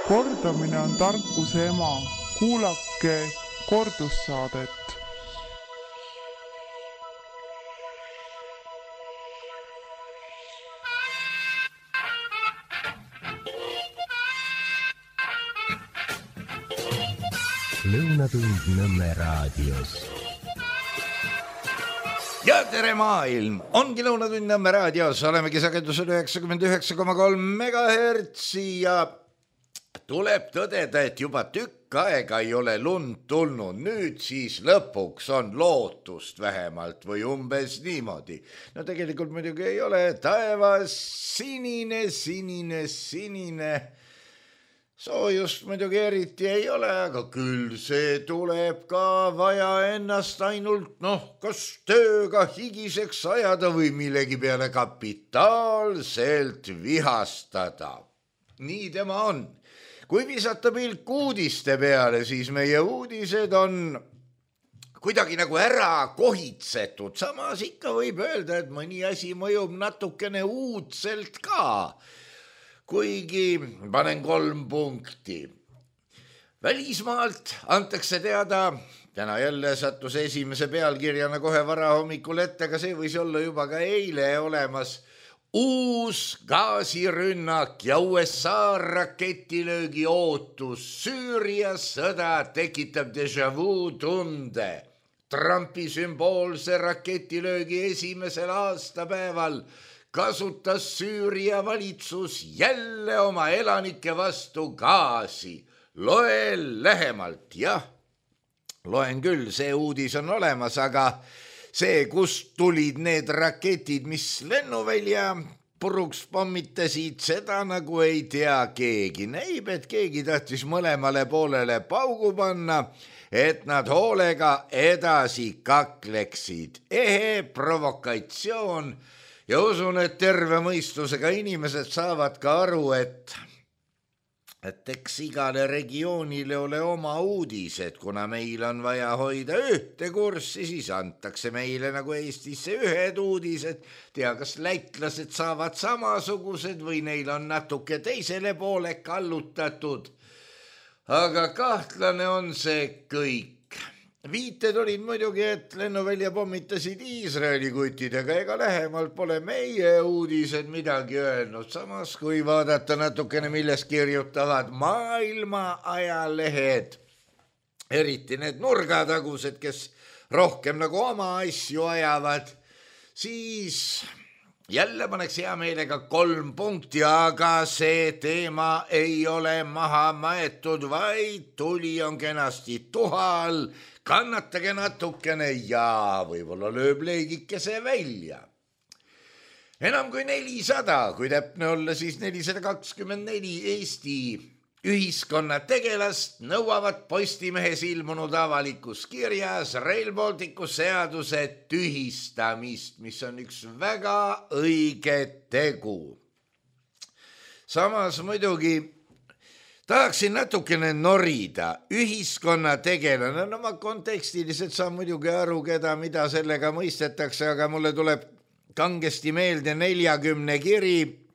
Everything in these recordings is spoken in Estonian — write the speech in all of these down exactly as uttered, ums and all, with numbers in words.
Kordamine on tarkuse ema. Kuulake kordussaadet. Lõunatund Nõmme raadios. Ja tere maailm! Ongi Lõunatund Nõmme raadios. Olemegi sagedusel üheksakümmend üheksa koma kolm megahertsi ja tuleb tõdeda, et juba tükk aega ei ole lund tulnud. Nüüd siis lõpuks on lootust vähemalt või umbes niimoodi. No tegelikult muidugi ei ole. Taevas sinine, sinine, sinine. Soojust muidugi eriti ei ole, aga küll see tuleb ka vaja ennast ainult, noh, kas tööga higiseks ajada või millegi peale kapitaalselt vihastada. Nii tema on. Kui visata pilk uudiste peale, siis meie uudised on kuidagi nagu ära kohitsetud. Samas ikka võib öelda, et mõni asi mõjub natukene uudselt ka. Kuigi panen kolm punkti. Välismaalt antakse teada, täna jälle sattus esimese pealkirjana kohe varahommikul ette, aga see võis olla juba ka eile olemas. Uus gaasirünnak ja U S A raketilöögi ootus. Süüria sõda tekitab déjà vu tunde. Trumpi sümboolse raketilöögi esimesel aastapäeval kasutas Süüria valitsus jälle oma elanike vastu gaasi. Loe lähemalt, jah, loen küll, see uudis on olemas, aga see, kust tulid need raketid, mis lennuvälja puruks pommitasid, seda nagu ei tea keegi. Näib, et keegi tahtis mõlemale poolele paugu panna, et nad hoolega edasi kakleksid. Ehe provokatsioon. Ja usun, et terve mõistusega inimesed saavad ka aru, et, et eks igale regioonile ole oma uudised, kuna meil on vaja hoida ühte kurssi, siis antakse meile nagu Eestisse ühed uudised. Tea, kas lätlased saavad samasugused või neil on natuke teisele poole kallutatud. Aga kahtlane on see kõik. Viited olid muidugi, et lennuvälja pommitasid Iisraeli kutidega, ega lähemalt pole meie uudised midagi öelnud. Samas, kui vaadata natukene, milles kirjutavad maailma ajalehed, eriti need nurgatagused, kes rohkem nagu oma asju ajavad, siis jälle paneks hea meelega kolm punkti, aga see teema ei ole maha maetud, vaid tuli on kenasti tuhal. Kannatage natukene ja võib-olla lööb leigikese välja. Enam kui nelisada, kui täpne olla, siis nelisada kakskümmend neli Eesti ühiskonna tegelast nõuavad Postimehes ilmunud avalikus kirjas Rail Balticu seaduse tühistamist, mis on üks väga õige tegu. Samas muidugi tahaksin natukene norida. Ühiskonna tegelane, no ma kontekstiliselt saan muidugi aru, keda, mida sellega mõistetakse, aga mulle tuleb kangesti meelde neljakümne kiri,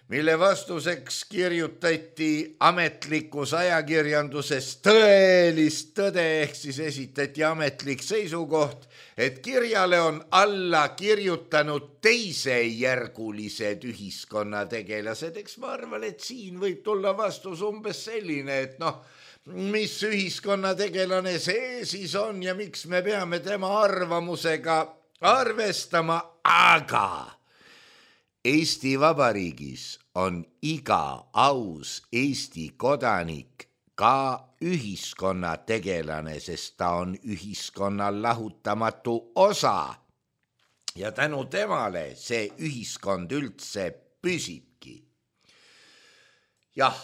mille vastuseks kirjutati ametlikus ajakirjanduses tõelist tõde, ehk siis esitati ametlik seisukoht, et kirjale on alla kirjutanud teisejärgulised ühiskonnategelased. Eks ma arvan, et siin võib tulla vastus umbes selline, et noh, mis ühiskonnategelane see siis on ja miks me peame tema arvamusega arvestama, aga Eesti Vabariigis on iga aus Eesti kodanik ka ühiskonna tegelane, sest ta on ühiskonna lahutamatu osa. Ja tänu temale see ühiskond üldse püsibki. Jah,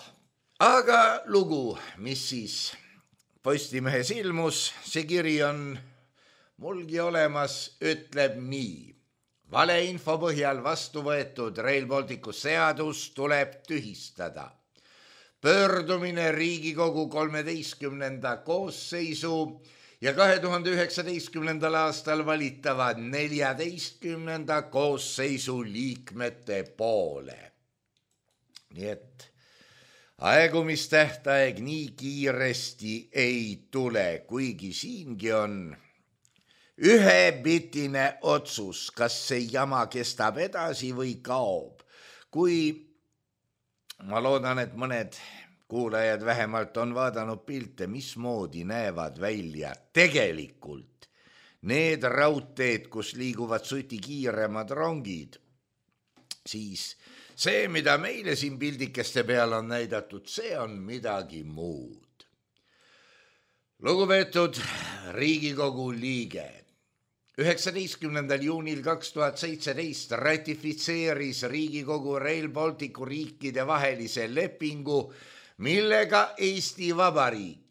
aga lugu, mis siis Postimehes ilmus, see kiri on mulgi olemas, ütleb nii. Valeinfo põhjal vastu võetud Rail Balticu seadus tuleb tühistada. Pöördumine Riigikogu kolmeteistkümnenda koosseisu ja kahe tuhande üheksateistkümnendal aastal valitavad neljateistkümnenda koosseisu liikmete poole. Nii et aegumistähtaeg nii kiiresti ei tule, kuigi siingi on ühepitine otsus, kas see jama kestab edasi või kaob. Kui ma loodan, et mõned kuulajad vähemalt on vaadanud pilte, mismoodi näevad välja tegelikult need raudteed, kus liiguvad suti kiiremad rongid, siis see, mida meile siin pildikeste peal on näidatud, see on midagi muud. Lugupeetud Riigikogu liige, üheksateistkümnendal juunil kaks tuhat seitseteist ratifitseeris Riigikogu Rail Balticu riikide vahelise lepingu, millega Eesti Vabariik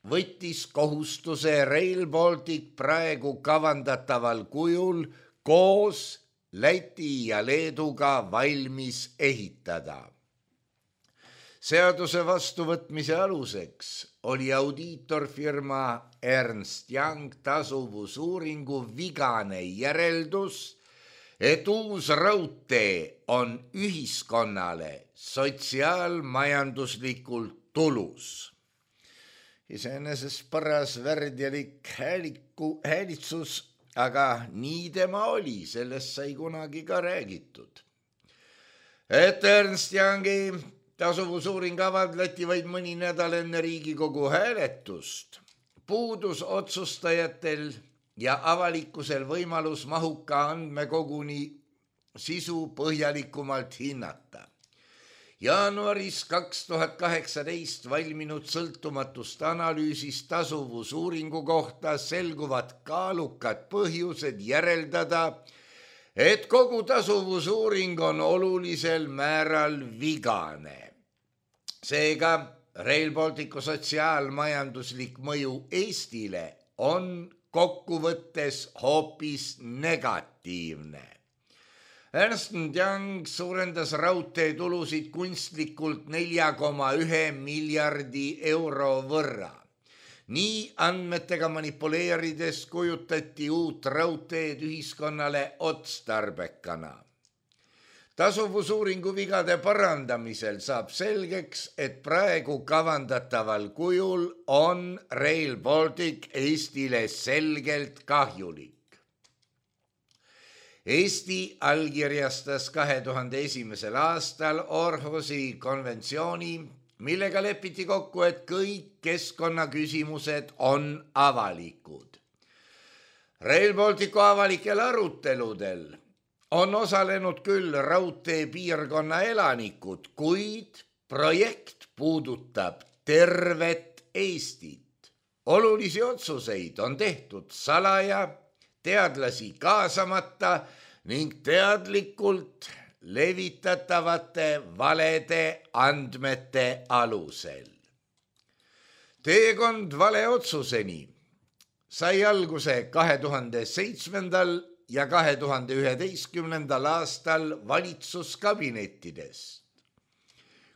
võttis kohustuse Rail Baltic praegu kavandataval kujul koos Läti ja Leeduga valmis ehitada. Seaduse vastuvõtmise aluseks oli audiitorfirma Ernst Young tasuvusuuringu vigane järeldus, et uus raudtee on ühiskonnale sotsiaalmajanduslikult tulus. Iseenesest paras värdjalik hääliku, häälitsus, aga nii tema oli, sellest sai kunagi ka räägitud. Et Ernst Youngi tasuvusuuring avaldati vaid mõni nädal enne Riigikogu hääletust, puudus otsustajatel ja avalikkusel võimalus mahuka andmekoguni sisu põhjalikumalt hinnata. Jaanuaris kaks tuhat kaheksateist valminud sõltumatust analüüsist tasuvusuuringu kohta selguvad kaalukad põhjused järeldada, et kogu tasuvusuuring on olulisel määral vigane. Seega Rail Balticu sotsiaalmajanduslik mõju Eestile on kokkuvõttes hoopis negatiivne. Ernst Young suurendas raudtee tulusid kunstlikult nelja koma ühe miljardi euro võrra. Nii andmetega manipuleerides kujutati uut raudteed ühiskonnale otstarbekana. Tasuvusuuringu vigade parandamisel saab selgeks, et praegu kavandataval kujul on Rail Baltic Eestile selgelt kahjulik. Eesti allkirjastas kahe tuhande esimesel aastal Orhusi konventsiooni, millega lepiti kokku, et kõik keskkonnaküsimused on avalikud. Rail Balticu avalikel aruteludel on osalenud küll raudtee piirkonna elanikud, kuid projekt puudutab tervet Eestit. Olulisi otsuseid on tehtud salaja, teadlasi kaasamata ning teadlikult levitatavate valede andmete alusel. Teekond valeotsuseni sai alguse kahe tuhande seitsmendal ja kahe tuhande üheteistkümnendal aastal valitsuskabinettidest.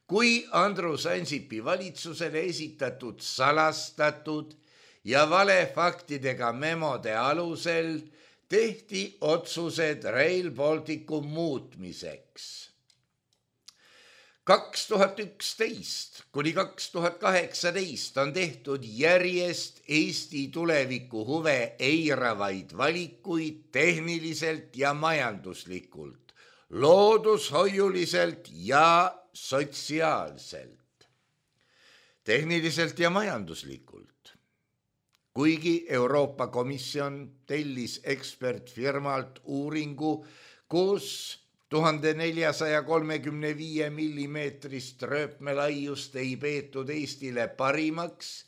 Kui Andrus Ansipi valitsusele esitatud salastatud ja valefaktidega memode alusel tehti otsused Rail Balticu muutmiseks. kaks tuhat üksteist kuni kaks tuhat kaheksateist on tehtud järjest Eesti tuleviku huve eiravaid valikuid tehniliselt ja majanduslikult, loodushoiuliselt ja sotsiaalselt. Tehniliselt ja majanduslikult. Kuigi Euroopa Komisjon tellis ekspertfirmalt uuringu, kus tuhande neljasaja kolmekümne viie millimeetrist rööpmelaiust ei peetud Eestile parimaks,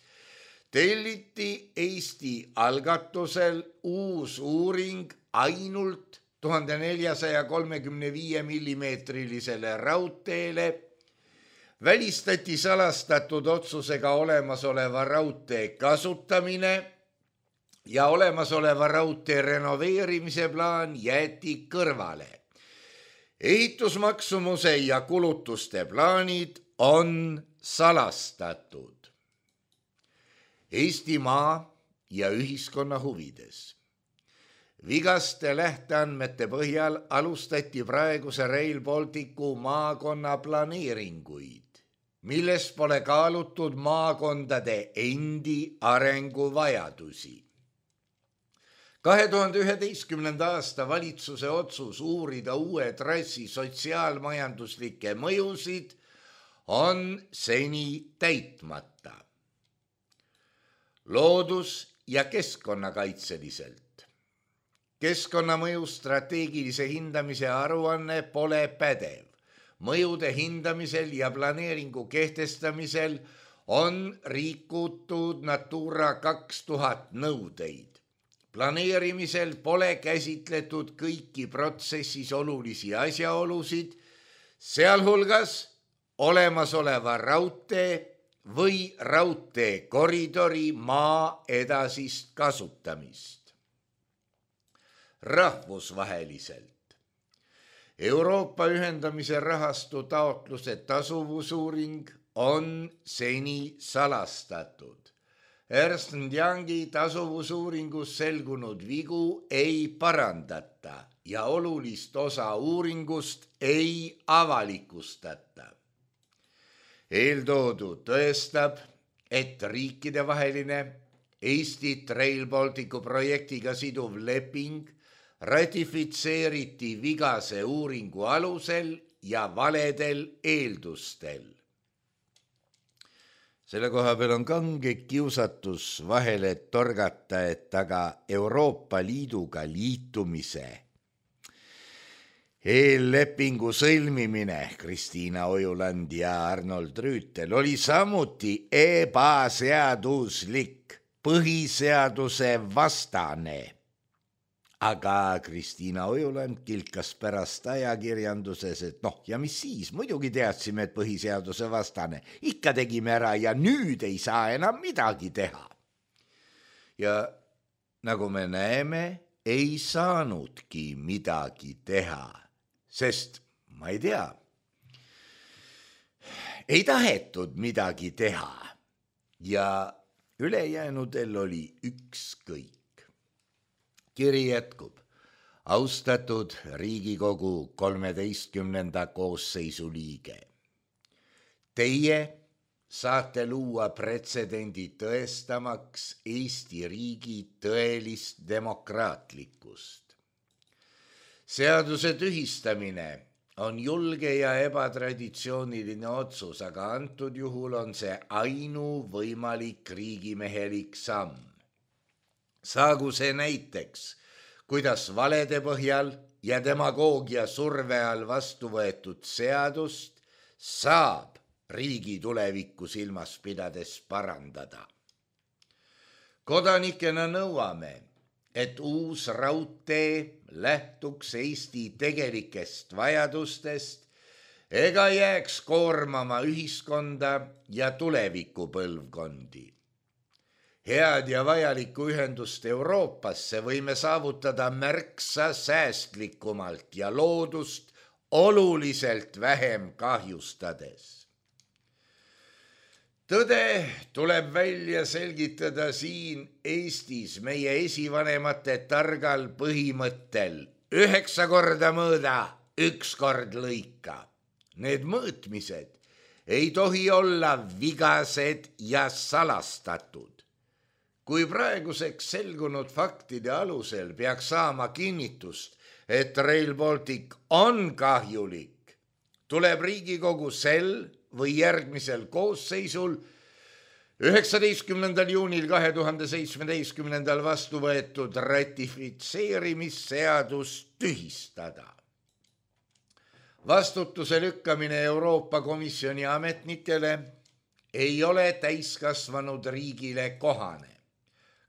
telliti Eesti algatusel uus uuring ainult tuhande neljasaja kolmekümne viie millimeetrilisele raudteele, välistati salastatud otsusega olemasoleva raudtee kasutamine ja olemasoleva raudtee renoveerimise plaan jäeti kõrvale. Ehitusmaksumuse ja kulutuste plaanid on salastatud. Eestimaa ja ühiskonna huvides. Vigaste lähteandmete põhjal alustati praeguse Rail Balticu maakonna planeeringuid milles pole kaalutud maakondade endi arenguvajadusi. kahe tuhande üheteistkümnenda aasta valitsuse otsus uurida uue trassi sotsiaalmajanduslikke mõjusid on seni täitmata. Loodus- ja keskkonnakaitseliselt. Keskkonnamõju strateegilise hindamise aruanne pole pädev. Mõjude hindamisel ja planeeringu kehtestamisel on rikutud Natura kaks tuhat nõudeid. Planeerimisel pole käsitletud kõiki protsessis olulisi asjaolusid, sealhulgas olemasoleva raudtee või raudteekoridori maa edasist kasutamist. Rahvusvaheliselt. Euroopa ühendamise rahastu taotluse tasuvusuuring on seni salastatud. Ernst and Youngi tasuvusuuringus selgunud vigu ei parandata ja olulist osa uuringust ei avalikustata. Eeltoodu tõestab, et riikidevaheline Eestit Rail Balticu projektiga siduv leping ratifitseeriti vigase uuringu alusel ja valedel eeldustel. Selle koha peal on kange kiusatus vahele torgata, et aga Euroopa Liiduga liitumise eellepingu sõlmimine Kristiina Ojuland ja Arnold Rüütel oli samuti ebaseaduslik, põhiseaduse vastane. Aga Kristiina Ojuland kilkas pärast ajakirjanduses, et noh, ja mis siis, muidugi teadsime, et põhiseaduse vastane. Ikka tegime ära ja nüüd ei saa enam midagi teha. Ja nagu me näeme, ei saanudki midagi teha, sest ma ei tea, ei tahetud midagi teha ja ülejäänudel oli ükskõik. Kiri jätkub. Austatud Riigikogu kolmeteistkümnenda koosseisu liige. Teie saate luua pretsedendi tõestamaks Eesti riigi tõelist demokraatlikkust. Seaduse tühistamine on julge ja ebatraditsiooniline otsus, aga antud juhul on see ainuvõimalik riigimehelik samm. Saagu see näiteks, kuidas valede põhjal ja demagoogia surve all vastu võetud seadust saab riigi tulevikku silmas pidades parandada. Kodanikena nõuame, et uus raudtee lähtuks Eesti tegelikest vajadustest ega jääks koormama ühiskonda ja tulevikupõlvkondi. Head ja vajalikku ühendust Euroopasse võime saavutada märksa säästlikumalt ja loodust oluliselt vähem kahjustades. Tõde tuleb välja selgitada siin Eestis meie esivanemate targal põhimõttel üheksa korda mõõda, üks kord lõika. Need mõõtmised ei tohi olla vigased ja salastatud. Kui praeguseks selgunud faktide alusel peaks saama kinnitust, et Rail Baltic on kahjulik, tuleb Riigikogu sel või järgmisel koosseisul üheksateistkümnendal juunil kahe tuhande seitsmeteistkümnendal vastu võetud ratifitseerimisseadus tühistada. Vastutuse lükkamine Euroopa Komisjoni ametnikele ei ole täiskasvanud riigile kohane.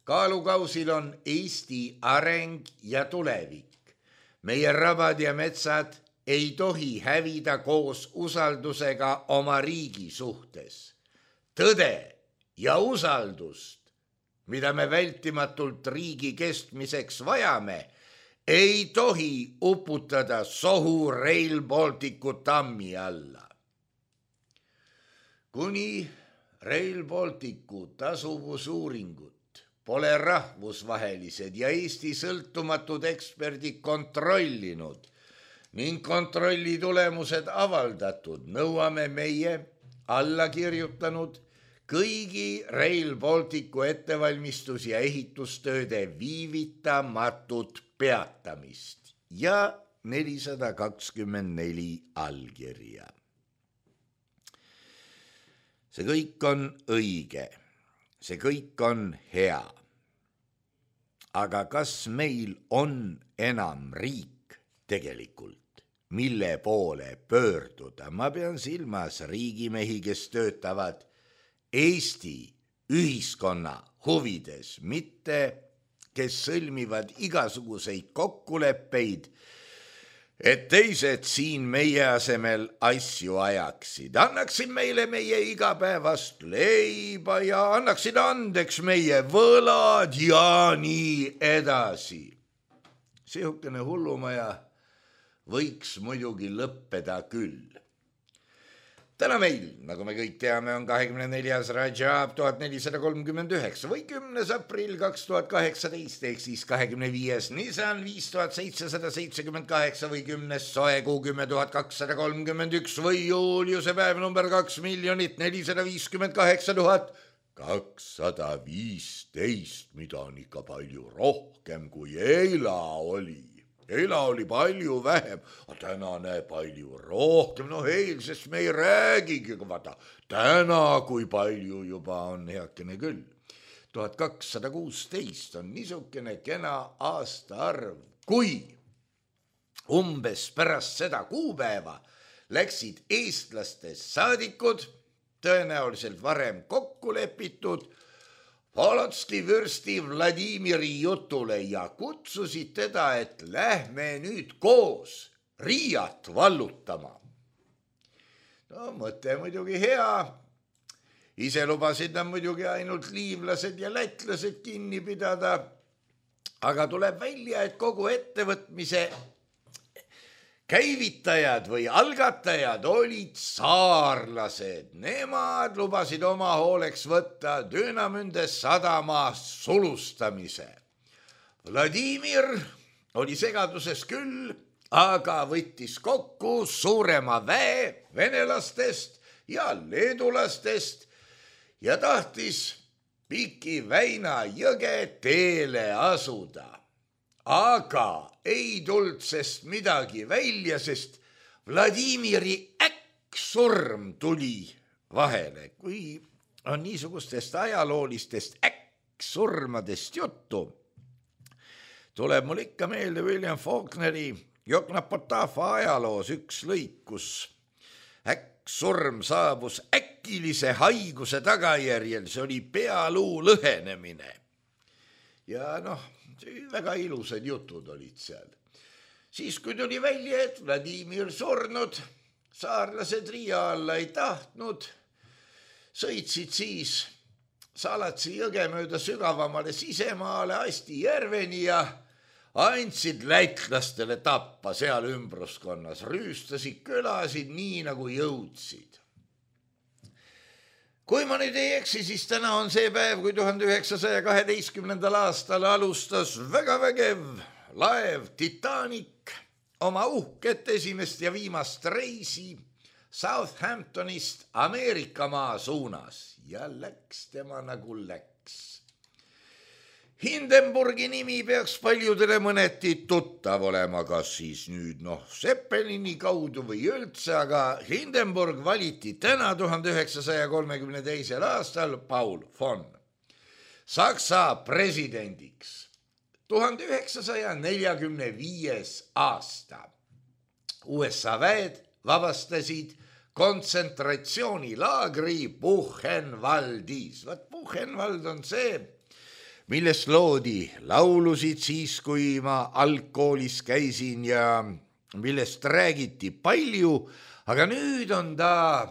Kaalukausil on Eesti areng ja tulevik. Meie rabad ja metsad ei tohi hävida koos usaldusega oma riigi suhtes. Tõde ja usaldust, mida me vältimatult riigi kestmiseks vajame, ei tohi uputada sohu Rail Balticu tammi alla. Kuni Rail Balticu tasuvusuuringut pole rahvusvahelised ja Eesti sõltumatud eksperdid kontrollinud ning kontrolli tulemused avaldatud, nõuame meie alla kirjutanud kõigi Rail Balticu ettevalmistus- ja ehitustööde viivitamatut peatamist ja nelisada kakskümmend neli allkirja. See kõik on õige, see kõik on hea. Aga kas meil on enam riik tegelikult, mille poole pöörduda? Ma pean silmas riigimehi, kes töötavad Eesti ühiskonna huvides, mitte kes sõlmivad igasuguseid kokkuleppeid, et teised siin meie asemel asju ajaksid, annaksid meile meie igapäevast leiba ja annaksid andeks meie võlad ja nii edasi. Sihukene hullumaja võiks muidugi lõppeda küll. Täna meil, nagu me kõik teame, on kahekümne neljas Rajab tuhat nelisada kolmkümmend üheksa või kümnes aprill kaks tuhat kaheksateist ehk siis kahekümne viies Nisan viis tuhat seitsesada seitsekümmend kaheksa või kümnes soekuu kümme tuhat kakssada kolmkümmend üks või juuliuse päev number kaks miljonit nelisada viiskümmend kaheksa tuhat kakssada viisteist, mida on ikka palju rohkem kui eila oli. Eila oli palju vähem, aga tänane palju rohkem, no eilsest me ei räägigi, vaata, täna kui palju juba on heakene küll. tuhat kakssada kuusteist on niisugune kena aastaarv, kui umbes pärast seda kuupäeva läksid eestlastest saadikud, tõenäoliselt varem kokku lepitud, Polotski vürsti Vladimiri jutule ja kutsusid teda, et lähme nüüd koos Riiat vallutama. No mõte muidugi hea. Ise lubasid nad muidugi ainult liivlased ja lätlased kinni pidada, aga tuleb välja, et kogu ettevõtmise käivitajad või algatajad olid saarlased. Nemad lubasid oma hooleks võtta Dünamünde sadama sulustamise. Vladimir oli segaduses küll, aga võttis kokku suurema väe venelastest ja leedulastest ja tahtis Piki Väina jõge teele asuda. Aga ei tulnud sest midagi välja, sest Vladimiri äkksurm tuli vahele. Kui on niisugustest ajaloolistest äkksurmadest juttu, tuleb mul ikka meelde William Faulkneri Joknapotafa ajaloos üks lõik, kus äkksurm saabus äkilise haiguse tagajärjel, see oli pealuu lõhenemine. Ja noh, väga ilusad jutud olid seal. Siis kui tuli välja, et Vladimir surnud, saarlased Riia alla ei tahtnud, sõitsid siis Salatsi jõge mööda sügavamale sisemaale Asti järveni ja andsid lätlastele tappa seal ümbruskonnas, rüüstasid külasid nii nagu jõudsid. Kui ma nüüd ei eksi, siis täna on see päev, kui tuhande üheksasaja kaheteistkümnendal aastal alustas väga vägev laev Titanic oma uhket esimest ja viimast reisi Southamptonist Ameerikamaa suunas ja läks tema nagu läks. Hindenburgi nimi peaks paljudele mõneti tuttav olema, kas siis nüüd noh Zeppelini kaudu või üldse, aga Hindenburg valiti täna tuhande üheksasaja kolmekümne teisel aastal Paul von Saksa presidendiks. tuhande üheksasaja neljakümne viies aasta U S A väed vabastasid kontsentratsioonilaagri Buchenwaldis. Vaat Buchenwald on see, millest loodi laulusid siis, kui ma algkoolis käisin ja millest räägiti palju, aga nüüd on ta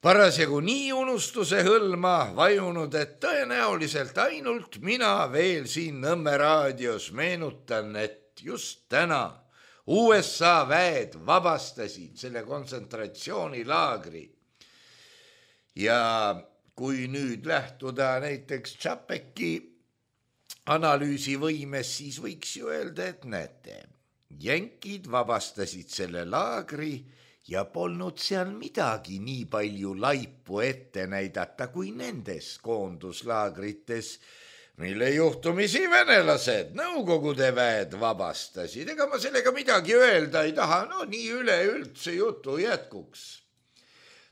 parasjagu nii unustuse hõlma vajunud, et tõenäoliselt ainult mina veel siin Nõmme raadios meenutan, et just täna U S A väed vabastasid selle kontsentratsioonilaagri. Ja kui nüüd lähtuda näiteks Čapeki analüüsivõimes, siis võiks ju öelda, et näete, jänkid vabastasid selle laagri ja polnud seal midagi nii palju laipu ette näidata kui nendes koonduslaagrites, mille juhtumisi venelased Nõukogude väed vabastasid. Ega ma sellega midagi öelda ei taha, no nii üleüldse jutu jätkuks.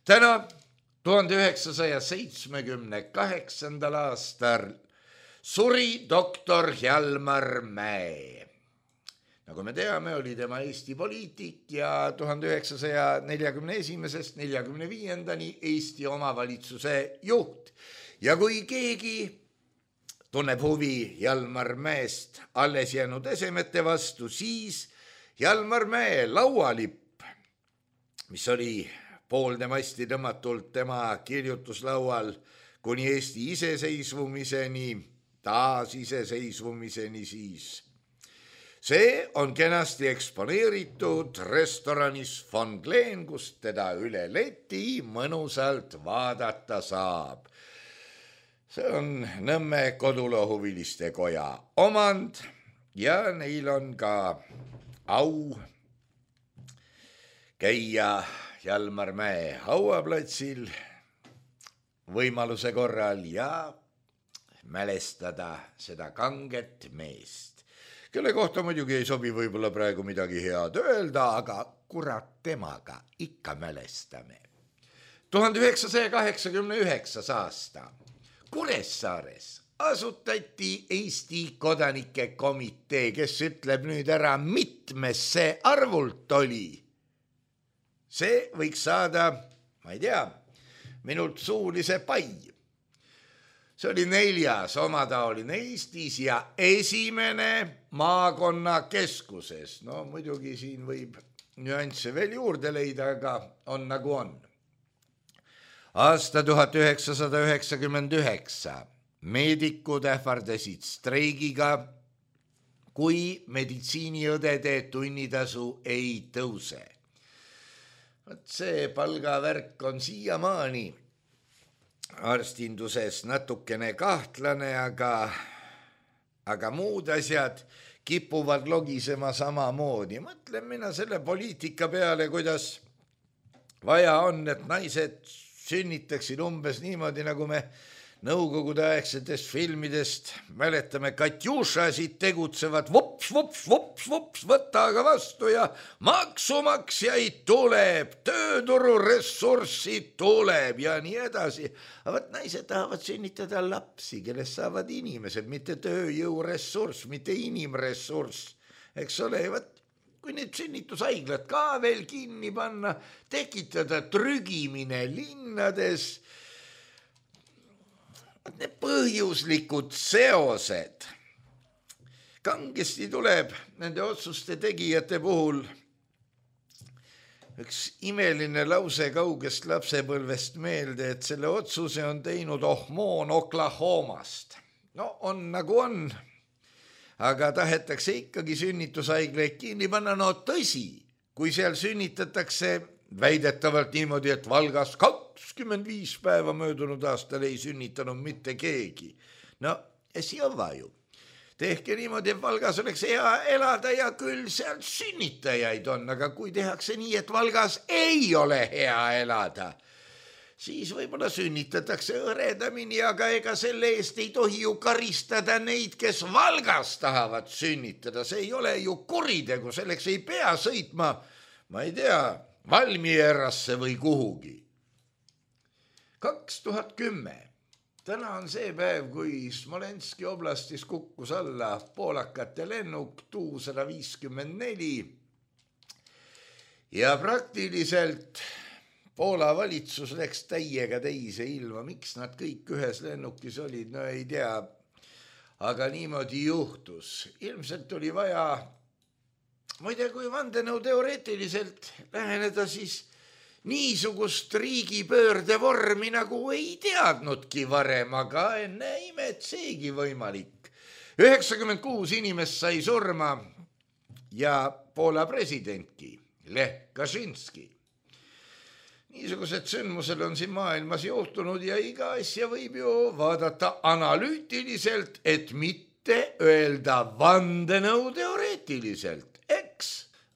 Täna tuhande üheksasaja seitsmekümne kaheksandal aastal suri doktor Hjalmar Mäe. Nagu me teame, oli tema Eesti poliitik ja tuhande üheksasaja neljakümne esimesest neljakümne viiendani Eesti omavalitsuse juht. Ja kui keegi tunneb huvi Hjalmar Mäest alles jäänud esemete vastu, siis Hjalmar Mäe laualipp, mis oli pooltemasti tõmmatult tema kirjutuslaual kuni Eesti iseseisvumiseni, taas iseseisvumiseni siis. See on kenasti eksponeeritud restoranis Von Glen, kust teda üle leti mõnusalt vaadata saab. See on Nõmme kodulohuviliste koja omand ja neil on ka au käia Hjalmar Mäe hauaplatsil võimaluse korral ja mälestada seda kanget meest, kelle kohta muidugi ei sobi võib-olla praegu midagi head öelda, aga kurat temaga ikka mälestame. tuhande üheksasaja kaheksakümne üheksas aasta Kuressaares asutati Eesti kodanike komitee, kes ütleb nüüd ära, mitmes see arvult oli. See võiks saada, ma ei tea, minult suulise pai. See oli neljas omataoline Eestis ja esimene maakonnakeskuses. No muidugi siin võib nüansse veel juurde leida, aga on nagu on. Aasta tuhat üheksasada üheksakümmend üheksa meedikud ähvardasid streigiga, kui meditsiiniõdede tunnitasu ei tõuse. See palgavärk on siiamaani arstinduses natukene kahtlane, aga, aga muud asjad kipuvad logisema samamoodi. Mõtlen mina selle poliitika peale, kuidas vaja on, et naised sünnitaksid umbes niimoodi, nagu me Nõukogude aegsetest filmidest mäletame, Katjušasid tegutsevad, vops, vops, vops, vops, võtta aga vastu ja maksumaksjaid tuleb, tööturu ressurssid tuleb ja nii edasi. Aga võt naised tahavad sünnitada lapsi, kellest saavad inimesed, mitte tööjõuressurss, mitte inimressurss. Eks ole, võt, kui need sünnitushaiglad ka veel kinni panna, tekitada trügimine linnades, need põhjuslikud seosed. Kangesti tuleb nende otsuste tegijate puhul üks imeline lause kaugest lapsepõlvest meelde, et selle otsuse on teinud Ohmoon Oklahomast. No on nagu on, aga tahetakse ikkagi sünnitushaigleid kinni panna. No tõsi, kui seal sünnitatakse väidetavalt niimoodi, et Valgas kakskümmend viis päeva möödunud aastal ei sünnitanud mitte keegi. No, esi õva ju. Tehke niimoodi, et Valgas oleks hea elada ja küll seal sünnitajaid on, aga kui tehakse nii, et Valgas ei ole hea elada, siis võib-olla sünnitatakse õredamini, aga ega selle eest ei tohi ju karistada neid, kes Valgas tahavad sünnitada. See ei ole ju kuritegu, selleks ei pea sõitma, ma ei tea, Valmierasse või kuhugi. kaks tuhat kümme. Täna on see päev, kui Smolenski oblastis kukkus alla poolakate lennuk Tu sada viiskümmend neli ja praktiliselt Poola valitsus läks täiega teise ilma. Miks nad kõik ühes lennukis olid, no ei tea, aga niimoodi juhtus. Ilmselt oli vaja, muide, kui vandenõu teoreetiliselt läheneda, siis niisugust riigipöörde vormi nagu ei teadnudki varem, aga enne imet seegi võimalik. üheksakümmend kuus inimest sai surma ja Poola presidentki, Lech Kaczynski. Niisugused sündmused on siin maailmas juhtunud ja iga asja võib ju vaadata analüütiliselt, et mitte öelda vandenõu teoreetiliselt. Eks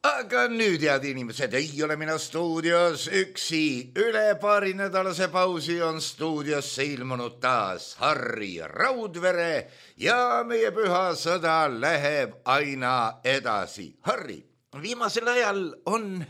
aga nüüd, head inimesed, ei ole mina stuudios üksi. Üle paari nädalase pausi on stuudiosse ilmunud taas Harri Raudvere ja meie püha sõda läheb aina edasi. Harri, viimasel ajal on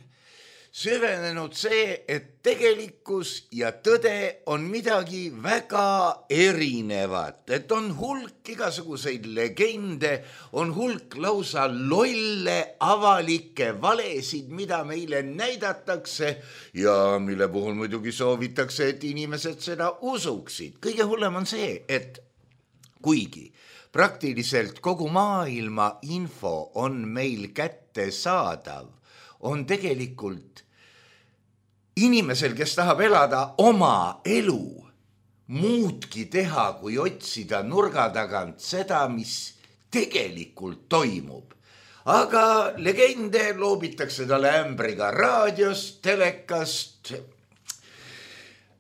süvenenud see, et tegelikkus ja tõde on midagi väga erinevat, et on hulk igasuguseid legende, on hulk lausa lolle avalikke valesid, mida meile näidatakse ja mille puhul muidugi soovitakse, et inimesed seda usuksid. Kõige hullem on see, et kuigi praktiliselt kogu maailma info on meil kätte saadav, on tegelikult inimesel, kes tahab elada oma elu, muudki teha, kui otsida nurga tagant seda, mis tegelikult toimub. Aga legende loobitakse talle ämbriga raadiost, telekast,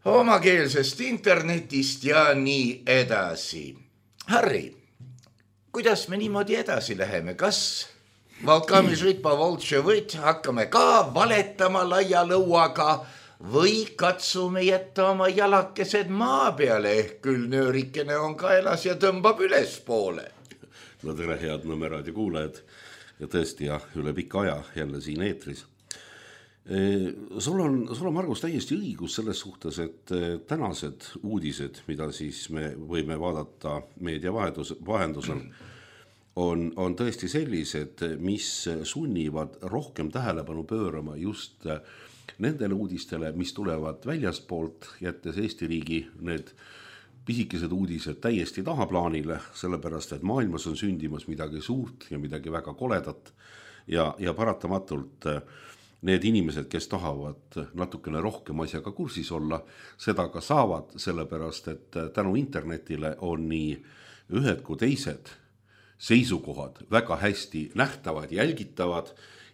omakeelsest internetist ja nii edasi. Harri, kuidas me niimoodi edasi läheme? Kas Valkamisritpa Voltševõt hakkame ka valetama laia lõuaga või katsume jätta oma jalakesed maa peale, ehk küll nöörikene on kaelas ja tõmbab üles poole? No tere, head Nõmme raadio kuulajad ja tõesti ja üle pika aja jälle siin eetris. Sul on, sul on Margus täiesti õigus selles suhtes, et tänased uudised, mida siis me võime vaadata meedia vahendusel, On, on tõesti sellised, mis sunnivad rohkem tähelepanu pöörama just nendele uudistele, mis tulevad väljaspoolt, jättes Eesti riigi need pisikesed uudised täiesti tahaplaanile, sellepärast, et maailmas on sündimas midagi suurt ja midagi väga koledat ja, ja paratamatult need inimesed, kes tahavad natukene rohkem asjaga kursis olla, seda ka saavad, sellepärast, et tänu internetile on nii ühed kui teised seisukohad väga hästi nähtavad, jälgitavad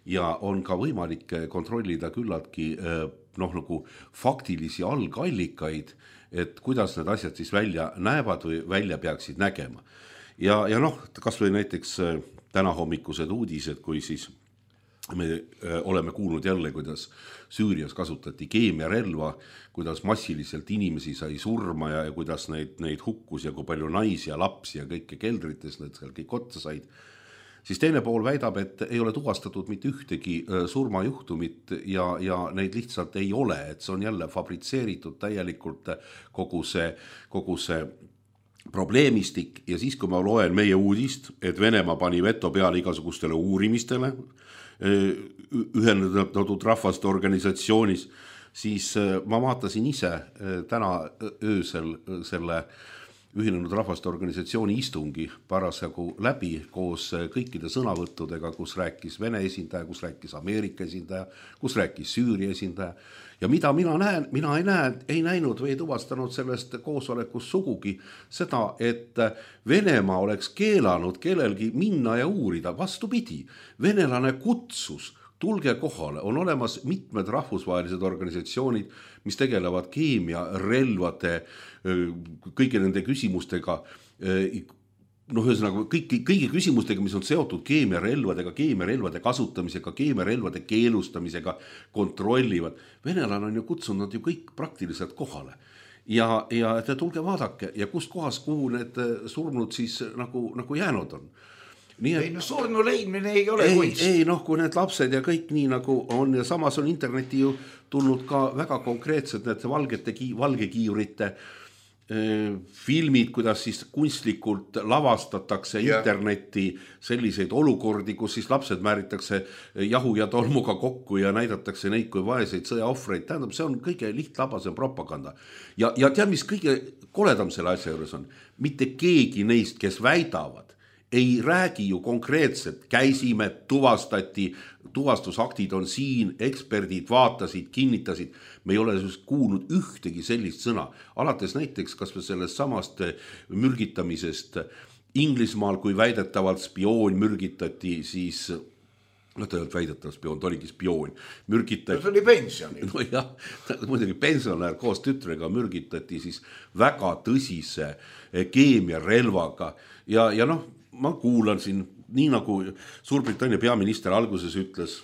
ja on ka võimalik kontrollida küllaltki noh, nagu faktilisi algallikaid, et kuidas need asjad siis välja näevad või välja peaksid nägema. Ja, ja noh, kas või näiteks täna hommikused uudised, kui siis me oleme kuulnud jälle, kuidas Süürias kasutati keemiarelva, kuidas massiliselt inimesi sai surma ja, ja kuidas neid, neid hukkus ja kui palju naisi ja lapsi ja kõike keldrites need seal kõik otsa said. Siis teine pool väidab, et ei ole tuvastatud mitte ühtegi surmajuhtumit ja, ja neid lihtsalt ei ole, et see on jälle fabritseeritud täielikult kogu see, kogu see probleemistik ja siis, kui ma loen meie uudist, et Venemaa pani veto peale igasugustele uurimistele ühendatud rahvaste organisatsioonis, siis ma vaatasin ise täna öösel selle ühinenud rahvaste organisatsiooni istungi parasjagu läbi koos kõikide sõnavõttudega, kus rääkis Vene esindaja, kus rääkis Ameerika esindaja, kus rääkis Süüria esindaja. Ja mida mina näen, mina ei, näe, ei näinud või ei tuvastanud sellest koosolekust sugugi seda, et Venemaa oleks keelanud kellelgi minna ja uurida. Vastupidi, venelane kutsus, tulge kohale, on olemas mitmed rahvusvahelised organisatsioonid, mis tegelevad keemia, relvade, kõigi nende küsimustega, noh, ühesõnaga kõigi, kõigi küsimustega, mis on seotud keemiarelvadega, keemiarelvade kasutamisega, keemiarelvade keelustamisega, kontrollivad. Venelane on ju kutsunud ju kõik praktiliselt kohale. Ja, ja te tulge vaadake ja kust kohas, kuhu need surnud siis nagu, nagu jäänud on. Nii, et, ei, no surnu leidmine ei ole ei, kunst. ei, noh, kui need lapsed ja kõik nii nagu on ja samas on interneti ju tulnud ka väga konkreetsed need valgete, valgekiiurite filmid, kuidas siis kunstlikult lavastatakse yeah. internetti selliseid olukordi, kus siis lapsed määritakse jahu ja tolmuga kokku ja näidatakse neid kui vaeseid sõjaohvreid. Tähendab, see on kõige lihtlabasem propaganda. Ja, ja tead, mis kõige koledam selle asja juures on? Mitte keegi neist, kes väidavad, ei räägi ju konkreetselt, käisime, tuvastati, tuvastusaktid on siin, eksperdid vaatasid, kinnitasid. Me ei ole kuulnud ühtegi sellist sõna. Alates näiteks kas või sellest samast mürgitamisest Inglismaal, kui väidetavalt spioon mürgitati, siis no ta ei olnud väidetavalt spioon, ta oligi spioon. Mürgitati, no, see oli pensionil. No jah, muidugi pensionär koos tütrega mürgitati siis väga tõsise keemiarelvaga ja, ja noh, ma kuulan siin, nii nagu Suurbritannia peaminister alguses ütles,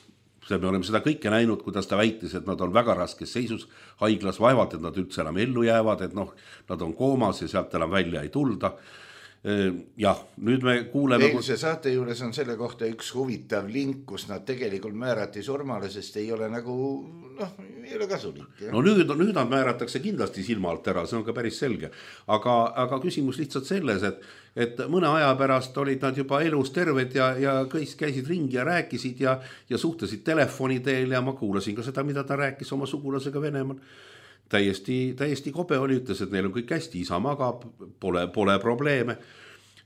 me oleme seda kõike näinud, kuidas ta väitis, et nad on väga raskes seisus haiglas, vaevalt, et nad üldse enam ellu jäävad, et noh, nad on koomas ja sealt enam välja ei tulda. Jah, nüüd me kuuleme... Eilse saate juures on selle kohta üks huvitav link, kus nad tegelikult määrati surmale, sest ei ole nagu, noh, ei ole kasulik. Ja? No nüüd, nüüd nad määratakse kindlasti silma alt ära, see on ka päris selge. Aga, aga küsimus lihtsalt selles, et, et mõne aja pärast olid nad juba elus terved ja, ja kõik käisid ringi ja rääkisid ja, ja suhtlesid telefoni teel ja ma kuulasin ka seda, mida ta rääkis oma sugulasega Venemaal. Täiesti, täiesti kobe oli, ütles, et neil on kõik hästi, isa magab, pole, pole probleeme.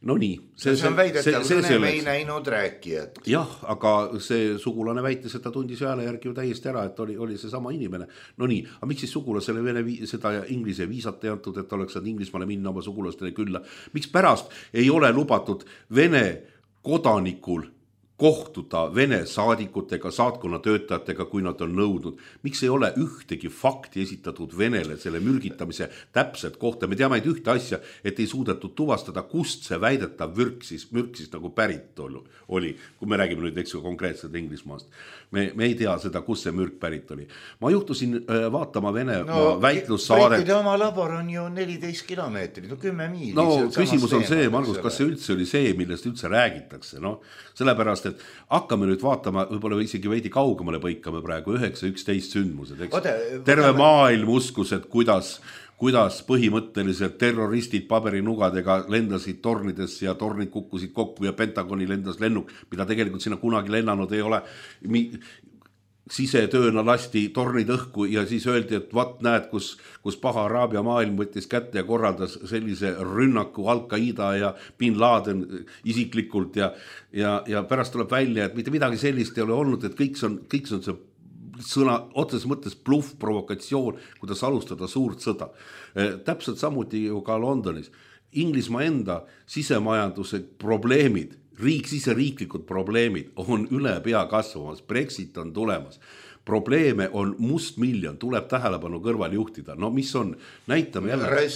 No nii. See, see on väidetav, kõne me ei näinud rääkijat. Jah, aga see sugulane väitis, et ta tundis hääle järgi ju täiesti ära, et oli, oli see sama inimene. No nii, aga miks siis sugulasele vene seda inglise viisat ei antud, et oleks saanud Inglismaale minna oma sugulastele külla? Miks pärast ei ole lubatud Vene kodanikul kohtuda Vene saadikutega, saatkonna töötajatega, kui nad on nõudnud. Miks ei ole ühtegi fakti esitatud Venele selle mürgitamise täpselt kohta? Me teame ühte asja, et ei suudetud tuvastada, kust see väidetav mürk siis, mürk siis nagu pärit oli, kui me räägime nüüd eks konkreetselt Inglismaast. Me, me ei tea seda, kus see mürk pärit oli. Ma juhtusin vaatama Vene no, väitlussaadet. Kõikide oma labor on ju neliteist kilomeetrit, no kümme miili. No küsimus on see, Margus, kas see üldse oli see, millest üldse räägitakse, no sellepärast, et hakkame nüüd vaatama, võib-olla isegi veidi kaugemale põikame praegu üheksa üksteist sündmused, eks? Oda, terve võtame... maailm uskus, et kuidas, kuidas põhimõtteliselt terroristid paberinugadega lendasid tornidesse ja tornid kukkusid kokku ja Pentagoni lendas lennuk, mida tegelikult sinna kunagi lennanud ei ole. Mi... sisetööna lasti tornid õhku ja siis öeldi, et vat näed, kus, kus paha Araabia maailm võttis kätte ja korraldas sellise rünnaku Al-Qaida ja Bin Laden isiklikult ja, ja, ja pärast tuleb välja, et mitte midagi sellist ei ole olnud, et kõik on, kõik on see sõna otseses mõttes bluff, provokatsioon, kuidas alustada suurt sõda. Täpselt samuti ju ka Londonis. Inglismaa enda sisemajanduse probleemid, riik, siseriiklikud probleemid on üle pea kasvamas, Brexit on tulemas, probleeme on must miljon, tuleb tähelepanu kõrval juhtida. No mis on, näitame jälle,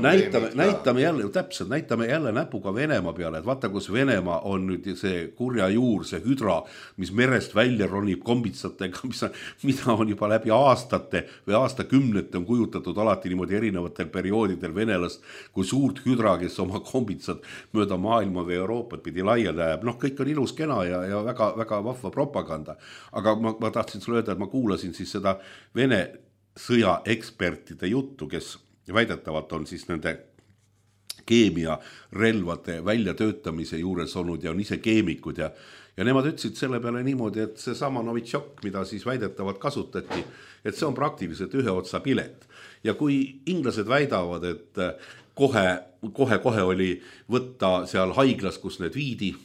näitame, näitame jälle, täpselt, näitame jälle näpuga Venemaa peale, et vaata, kus Venemaa on nüüd see kurja juur, see hüdra, mis merest välja ronib kombitsatega, mis on, mida on juba läbi aastate või aastakümnete on kujutatud alati niimoodi erinevatel perioodidel venelast, kui suurt hüdra, kes oma kombitsad mööda maailma või Euroopat pidi laia läheb. Noh, kõik on ilus kena ja, ja väga, väga vahva propaganda. Aga ma, ma tahtsin sulle öelda, et ma kuulasin siis seda Vene sõjaekspertide juttu, kes väidetavalt on siis nende keemiarelvade väljatöötamise juures olnud ja on ise keemikud ja, ja nemad ütlesid selle peale niimoodi, et see sama Novitšok, mida siis väidetavalt kasutati, et see on praktiliselt ühe otsa pilet. Ja kui inglased väidavad, et kohe, kohe, kohe oli võtta seal haiglas, kus need viidi,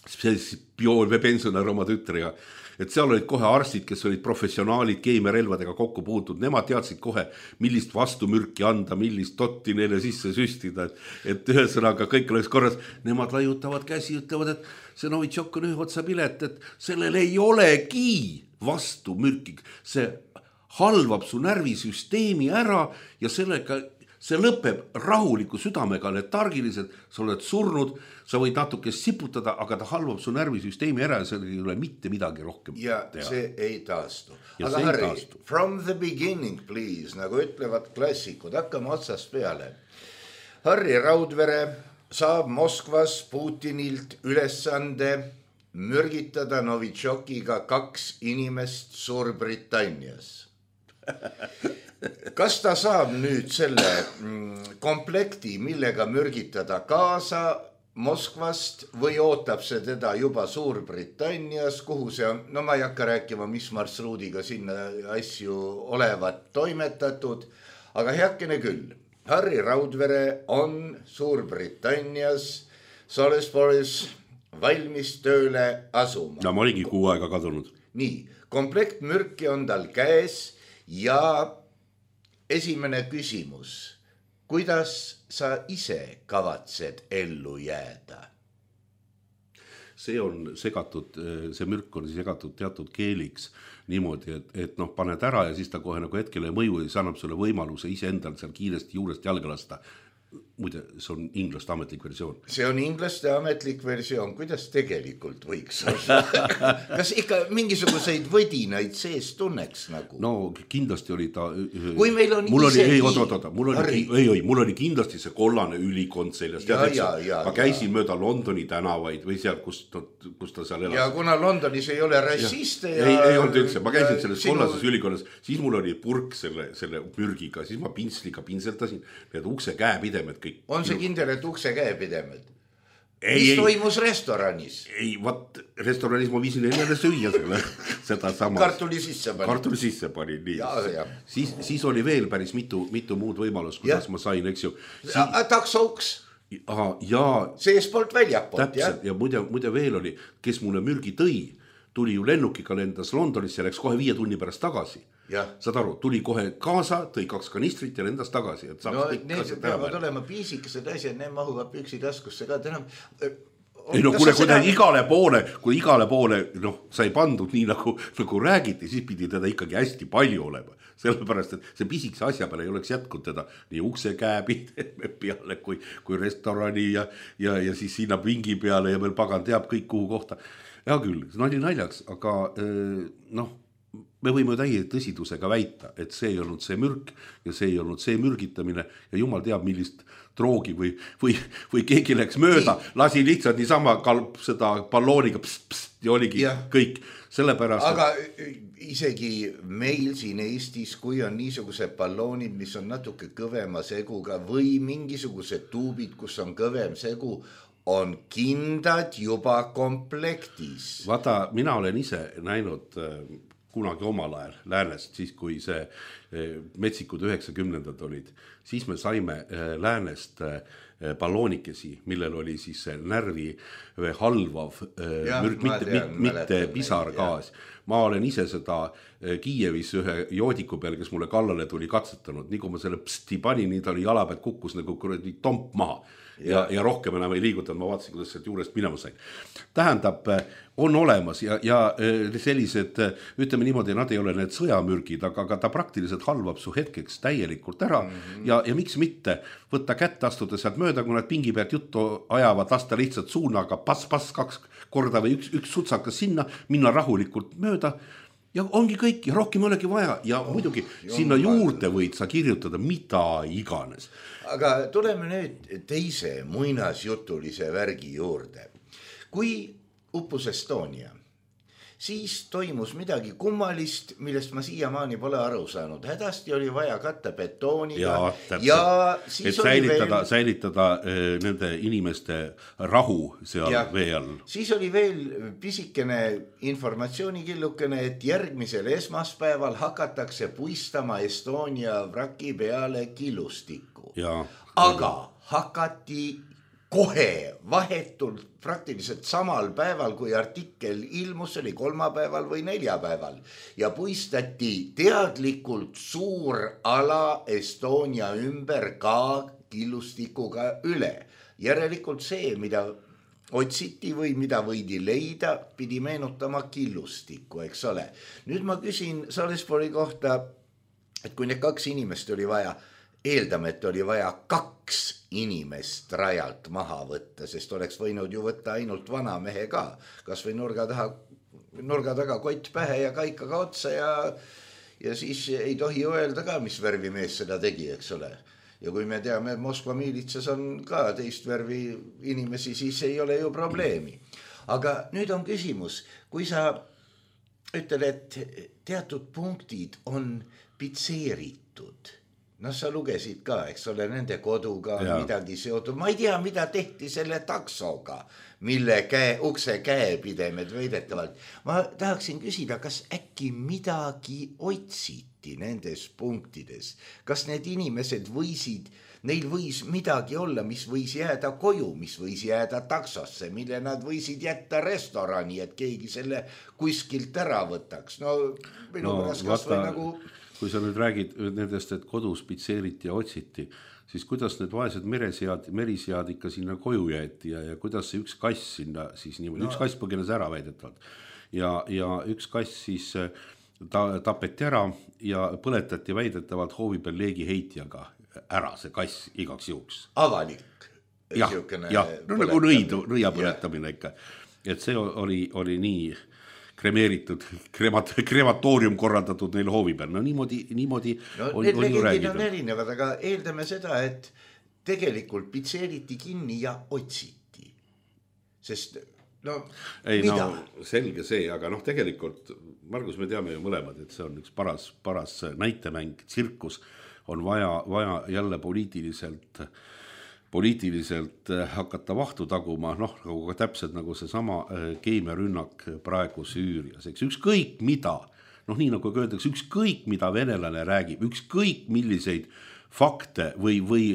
siis Bjool või pensionär oma tütriga, et seal olid kohe arstid, kes olid professionaalid keemiarelvadega kokku puutud, nemad teadsid kohe, millist vastumürki anda, millist totti neile sisse süstida, et, et ühesõnaga kõik oleks korras, nemad laiutavad käsi, ütlevad, et see Novitšok on ühe otsa pilet, et sellel ei olegi vastumürki, see halvab su närvisüsteemi ära ja sellega see lõpeb rahuliku südamega, letargiliselt, sa oled surnud, sa võid natuke siputada, aga ta halvab su närvisüsteemi ära ja seal ei ole mitte midagi rohkem ja teha. See ei taastu. Ja aga Harri, taastu. From the beginning, please, nagu ütlevad klassikud, hakkame otsast peale. Harri Raudvere saab Moskvas Putinilt ülesande mürgitada Novitšokiga kaks inimest Suurbritannias. Kas ta saab nüüd selle komplekti, millega mürgitada kaasa Moskvast või ootab see teda juba Suurbritannias, kuhu see on, no ma ei hakka rääkima, mis marsruudiga sinna asju olevat toimetatud, aga heakene küll. Harri Raudvere on Suurbritannias, Salisbury's valmis tööle asuma. Ja ma olingi kuu aega kadunud. Nii, komplekt mürki on tal käes ja esimene küsimus, kuidas sa ise kavatsed ellu jääda? See on segatud, see mürk on segatud teatud keeliks niimoodi, et, et noh, paned ära ja siis ta kohe nagu hetkele mõju ja see annab sulle võimaluse ise endal seal kiiresti juurest jalga lasta. muide, see on inglaste ametlik versioon. See on inglaste ametlik versioon, kuidas tegelikult võiks olla? Kas ikka mingisuguseid võdinaid sees tunneks nagu? No kindlasti oli ta... Kui meil on mul isegi... Oli, ei, oot, oot, oot, mul, oli, ei, ei, mul oli kindlasti see kollane ülikond seljas. Ja, ja, ja, ma käisin ja. mööda Londoni tänavaid või seal, kus ta, kus ta seal elas. Ja kuna Londonis ei ole rassiste ja... ja... Ei, ei olnud üldse, ma käisin selles sinu... kollases ülikonnas, siis mul oli purk selle, selle mürgiga, siis ma pintsliga pintseldasin need ukse käepidemed kõik. On see kindel, et ukse käepidemed? Ei, mis ei, toimus restoranis? Ei, vaat restoranis ma viisin jälle süüa selle, seda sama. Kartuli sisse pani. Kartuli sisse pani, nii. Ja, ja. Siis, siis oli veel päris mitu, mitu muud võimalust, kuidas ja. ma sain, eks ju. Si... Taksouks? Aha, ja... Seespoolt väljapoolt, täpselt, ja, ja muide, muide veel oli, kes mulle mürgi tõi, tuli ju lennukiga lendas Londonisse ja läks kohe viie tunni pärast tagasi. Ja. Saad aru, tuli kohe kaasa, tõi kaks kanistrit ja lendas tagasi. Et no need peavad olema piisikesed asjad, need mahuvad püksitaskusse ka. Täna... Ei no kuule, kui ta igale poole, kui igale poole noh, sai pandud nii nagu, nagu räägiti, siis pidi teda ikkagi hästi palju olema. Sellepärast, et see pisikese asja peale ei oleks jätkunud teda nii ukse käepideme peale kui, kui restorani ja, ja, ja siis sinna pingi peale ja veel pagan teab kõik kuhu kohta. Ja küll, nali naljaks, aga noh, me võime täie tõsidusega väita, et see ei olnud see mürk ja see ei olnud see mürgitamine ja jumal teab, millist droogi või, või, või keegi läks mööda, lasi lihtsalt niisama kalp seda ballooniga pst, pst, ja oligi ja. kõik sellepärast. Aga isegi meil siin Eestis, kui on niisugused balloonid, mis on natuke kõvema seguga või mingisugused tuubid, kus on kõvem segu, on kindad juba komplektis. Vaata, mina olen ise näinud kunagi omal ajal Läänest, siis kui see metsikud üheksakümnendad olid, siis me saime Läänest balloonikesi, millel oli siis närvi halvav ja, mürk, mitte, tean, mitte pisargaas. Ma olen ise seda Kiievis ühe joodiku peal, kes mulle kallale tuli katsetanud, nii kui ma selle psti panin, nii ta oli jala pealt kukkus nagu kuradi tomp maha. Ja, ja rohkem enam ei liigutanud, ma vaatasin, kuidas sealt juurest minema sain. Tähendab, on olemas ja, ja sellised, ütleme niimoodi, nad ei ole need sõjamürgid, aga, aga ta praktiliselt halvab su hetkeks täielikult ära mm -hmm. ja, ja miks mitte võtta kätte, astuda sealt mööda, kui nad pingi pealt juttu ajavad, lasta lihtsalt suunaga pass-pass kaks korda või üks, üks sutsakas sinna, minna rahulikult mööda ja ongi kõik ja rohkem olegi vaja ja oh, muidugi sinna juurde võid sa kirjutada mida iganes. Aga tuleme nüüd teise muinasjutulise värgi juurde. Kui uppus Estonia, siis toimus midagi kummalist, millest ma siiamaani pole aru saanud. Hädasti oli vaja katta betooniga ja, ja siis et säilitada, veel... säilitada äh, nende inimeste rahu seal ja, vee all. Siis oli veel pisikene informatsioonikillukene, et järgmisel esmaspäeval hakatakse puistama Estonia vraki peale killustikku. Ja, aga hakati kohe vahetult praktiliselt samal päeval, kui artikkel ilmus, oli kolmapäeval või neljapäeval ja puistati teadlikult suur ala Estonia ümber ka killustikuga üle. Järelikult see, mida otsiti või mida võidi leida, pidi meenutama killustikku, eks ole. Nüüd ma küsin Salisbury kohta, et kui need kaks inimest oli vaja, eeldame, et oli vaja kaks inimest rajalt maha võtta, sest oleks võinud ju võtta ainult vana mehe ka, kas või nurga taha, nurga taga kott pähe ja kaikaga otsa ja, ja siis ei tohi öelda ka, mis värvi mees seda tegi, eks ole. Ja kui me teame, et Moskva miilitsas on ka teist värvi inimesi, siis ei ole ju probleemi. Aga nüüd on küsimus, kui sa ütled, et teatud punktid on pitseeritud, no sa lugesid ka, eks ole, nende koduga ja. midagi seotud. Ma ei tea, mida tehti selle taksoga, mille käe, ukse käepidemed veidetavalt. Ma tahaksin küsida, kas äkki midagi otsiti nendes punktides? Kas need inimesed võisid, neil võis midagi olla, mis võis jääda koju, mis võis jääda taksosse, mille nad võisid jätta restorani, et keegi selle kuskilt ära võtaks? No minu no, pärast kas või nagu... Kui sa nüüd räägid nendest, et kodus pitseeriti ja otsiti, siis kuidas need vaesed meresead, merisead ikka sinna koju jäeti ja, ja kuidas see üks kass sinna siis niimoodi, no. üks kass põgenes ära väidetavalt ja, ja üks kass siis ta, tapeti ära ja põletati väidetavalt hoovi peal leegiheitjaga ära see kass igaks juhuks. Avalik. jah, jah, no nagu nõidu, nõia põletamine ikka. Et see oli, oli nii kremeeritud, kremat, krematoorium korraldatud neil hoovi peal. No niimoodi, niimoodi no, on, need legendid on erinevad, aga eeldame seda, et tegelikult pitseeriti kinni ja otsiti. Sest no ei, mida? No selge see, aga noh, tegelikult Margus, me teame ju mõlemad, et see on üks paras, paras näitemäng, tsirkus on vaja, vaja jälle poliitiliselt poliitiliselt hakata vahtu taguma, noh, nagu täpselt nagu see sama keemiarünnak praegu Süürias, eks ükskõik mida, noh, nii nagu öeldakse, ükskõik mida venelane räägib, ükskõik milliseid fakte või, või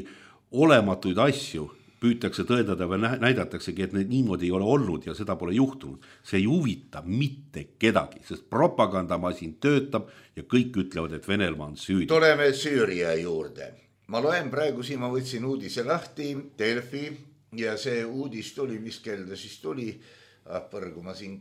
olematuid asju püütakse tõendada või näidataksegi, et need niimoodi ei ole olnud ja seda pole juhtunud. See ei huvita mitte kedagi, sest propagandamasin töötab ja kõik ütlevad, et Venelmaa on süüdi. Tuleme Süüria juurde. Ma loen praegu siin, ma võtsin uudise lahti, Delfi, ja see uudis tuli, mis kelda siis tuli, ah, põrgu ma siin,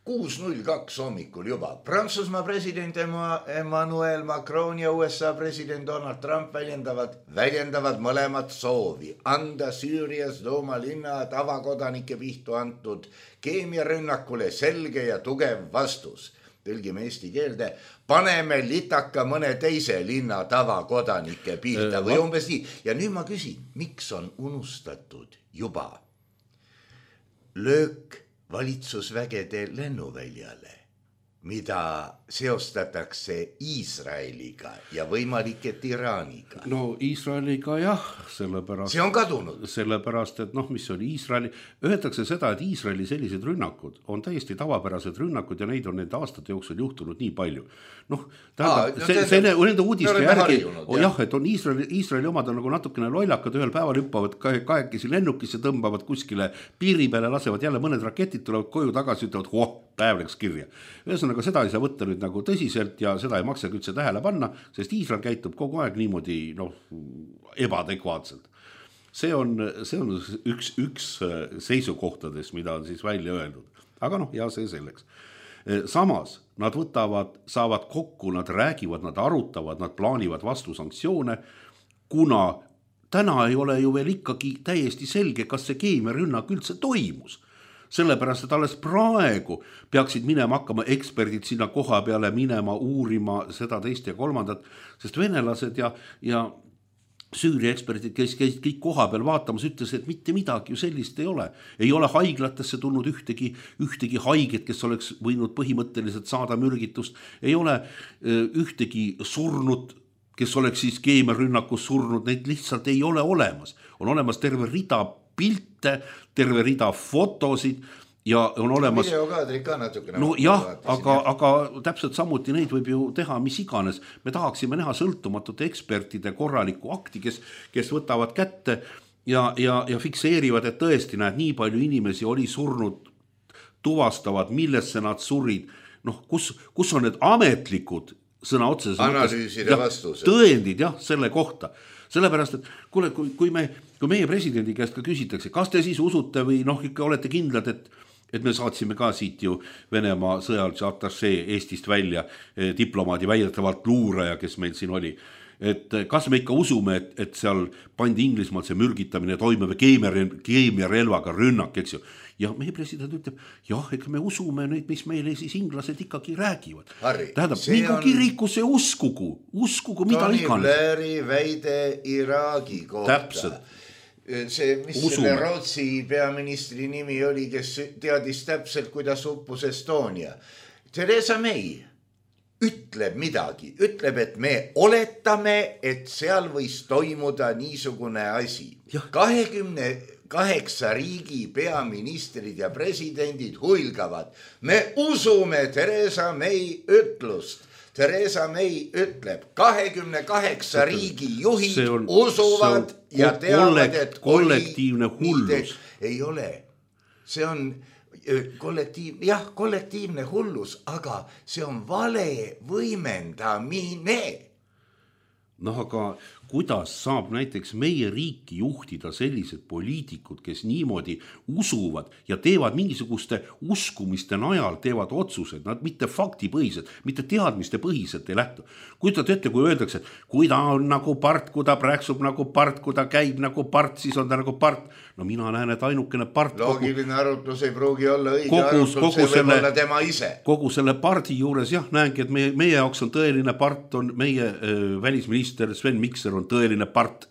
kuus null kaks hommikul juba. Prantsusmaa president Emmanuel Macron ja U S A president Donald Trump väljendavad, väljendavad mõlemad soovi anda Süürias Douma linna tavakodanike pihtu antud keemiarünnakule selge ja tugev vastus. Tõlgime eesti keelde, paneme litaka mõne teise linna tavakodanike pihta või umbes nii. Ja nüüd ma küsin, miks on unustatud juba löök valitsusvägede lennuväljale, mida seostatakse Iisraeliga ja võimalik, et Iraaniga. No Iisraeliga jah, sellepärast... See on kadunud. Sellepärast, et noh, mis oli Iisraeli... Öeldakse seda, et Iisraeli sellised rünnakud on täiesti tavapärased rünnakud ja neid on nende aastate jooksul juhtunud nii palju. Noh, tähendab, Aa, see, see ne, nende uudiste järgi, oh, jah, et on Iisraeli, Iisraeli omad on nagu natukene lollakad, ühel päeval hüppavad kahekesi lennukisse, tõmbavad kuskile piiri peale, lasevad jälle mõned raketid, tulevad koju tagasi, ütlevad, oh, päev läks kirja. Ühesõnaga, seda ei saa võtta nüüd nagu tõsiselt ja seda ei maksa üldse tähele panna, sest Iisrael käitub kogu aeg niimoodi noh, ebaadekvaatselt. See on, see on üks, üks seisukohtades, mida on siis välja öeldud. Aga noh, ja see selleks. Samas, nad võtavad, saavad kokku, nad räägivad, nad arutavad, nad plaanivad vastu sanktsioone, kuna täna ei ole ju veel ikkagi täiesti selge, kas see keemiarünnak üldse toimus. Sellepärast, et alles praegu peaksid minema hakkama eksperdid sinna koha peale minema, uurima seda teist ja kolmandat, sest venelased ja, ja Süüria eksperdid, kes käisid kõik koha peal vaatamas, ütles, et mitte midagi ju sellist ei ole. Ei ole haiglatesse tulnud ühtegi, ühtegi haiget, kes oleks võinud põhimõtteliselt saada mürgitust. Ei ole ühtegi surnud, kes oleks siis keemiarünnakus surnud, neid lihtsalt ei ole olemas. On olemas terve rida pilte, terve rida fotosid ja on olemas... Videokaadrid ka natukene. No jah, aga, aga täpselt samuti neid võib ju teha mis iganes. Me tahaksime näha sõltumatute ekspertide korralikku akti, kes, kes võtavad kätte ja, ja, ja fikseerivad, et tõesti näed, nii palju inimesi oli surnud, tuvastavad, millesse nad surid. Noh, kus, kus on need ametlikud sõna otseses analüüside vastused. Tõendid jah, selle kohta. Sellepärast, et kuule, kui, kui, me, kui meie presidendi käest ka küsitakse, kas te siis usute või noh, ikka olete kindlad, et, et me saatsime ka siit ju Venemaa sõjalise atašee Eestist välja diplomaadi väidetavalt luuraja, kes meil siin oli. Et kas me ikka usume, et, et seal pandi Inglismaal see mürgitamine toime või keemiarelvaga rünnak, eks ju. Ja meie president ütleb, jah, ega me usume neid, mis meile siis inglased ikkagi räägivad. Harri, tähendab, mingu on... kiriku see uskugu, uskugu mida iganes. Tony Blairi väide Iraagi kohta. Täpselt. See, mis usume. Selle Rootsi peaministri nimi oli, kes teadis täpselt, kuidas uppus Estonia. Theresa May ütleb midagi, ütleb, et me oletame, et seal võis toimuda niisugune asi. kahekümne kaheksa riigi peaministrid ja presidendid huilgavad. Me usume Theresa May ütlust. Theresa May ütleb, kahekümne kaheksa riigi juhid on, usuvad ja teavad, et kollektiivne hullus. Ei ole. See on kollektiiv, jah, kollektiivne hullus, aga see on vale võimendamine. noh, aga kuidas saab näiteks meie riiki juhtida sellised poliitikud, kes niimoodi usuvad ja teevad mingisuguste uskumiste najal, teevad otsused, nad mitte faktipõhised, mitte teadmiste põhiselt ei lähtu. Kujutad ette, kui öeldakse, et kui ta on nagu part, kui ta praksub nagu part, kui ta käib nagu part, siis on ta nagu part. No mina näen, et ainukene part... Loogiline kogu, arutlus ei pruugi olla õige kogu, arutlus, kogu see selle, võib olla tema ise. Kogu selle pardi juures jah, näengi, et meie, meie jaoks on tõeline part, on meie äh, välisminister Sven Mikser on tõeline part,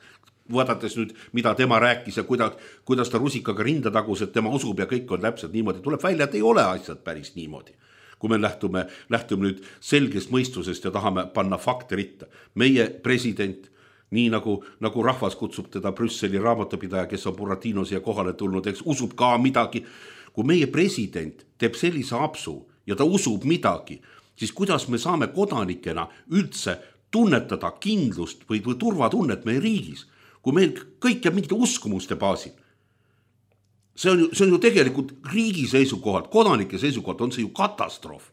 vaadates nüüd, mida tema rääkis ja kuidas, kuidas ta rusikaga rinda tagus, et tema usub ja kõik on täpselt niimoodi. Tuleb välja, et ei ole asjad päris niimoodi. Kui me lähtume, lähtume nüüd selgest mõistusest ja tahame panna fakte ritta. Meie president, nii nagu, nagu rahvas kutsub teda Brüsseli raamatupidaja, kes on Buratinos ja kohale tulnud, eks usub ka midagi. Kui meie president teeb sellise apsu ja ta usub midagi, siis kuidas me saame kodanikena üldse tunnetada kindlust või, või turvatunnet meie riigis, kui meil kõik jääb mingite uskumuste baasil. See on, ju, see on ju tegelikult riigi seisukohalt, kodanike seisukohalt on see ju katastroof.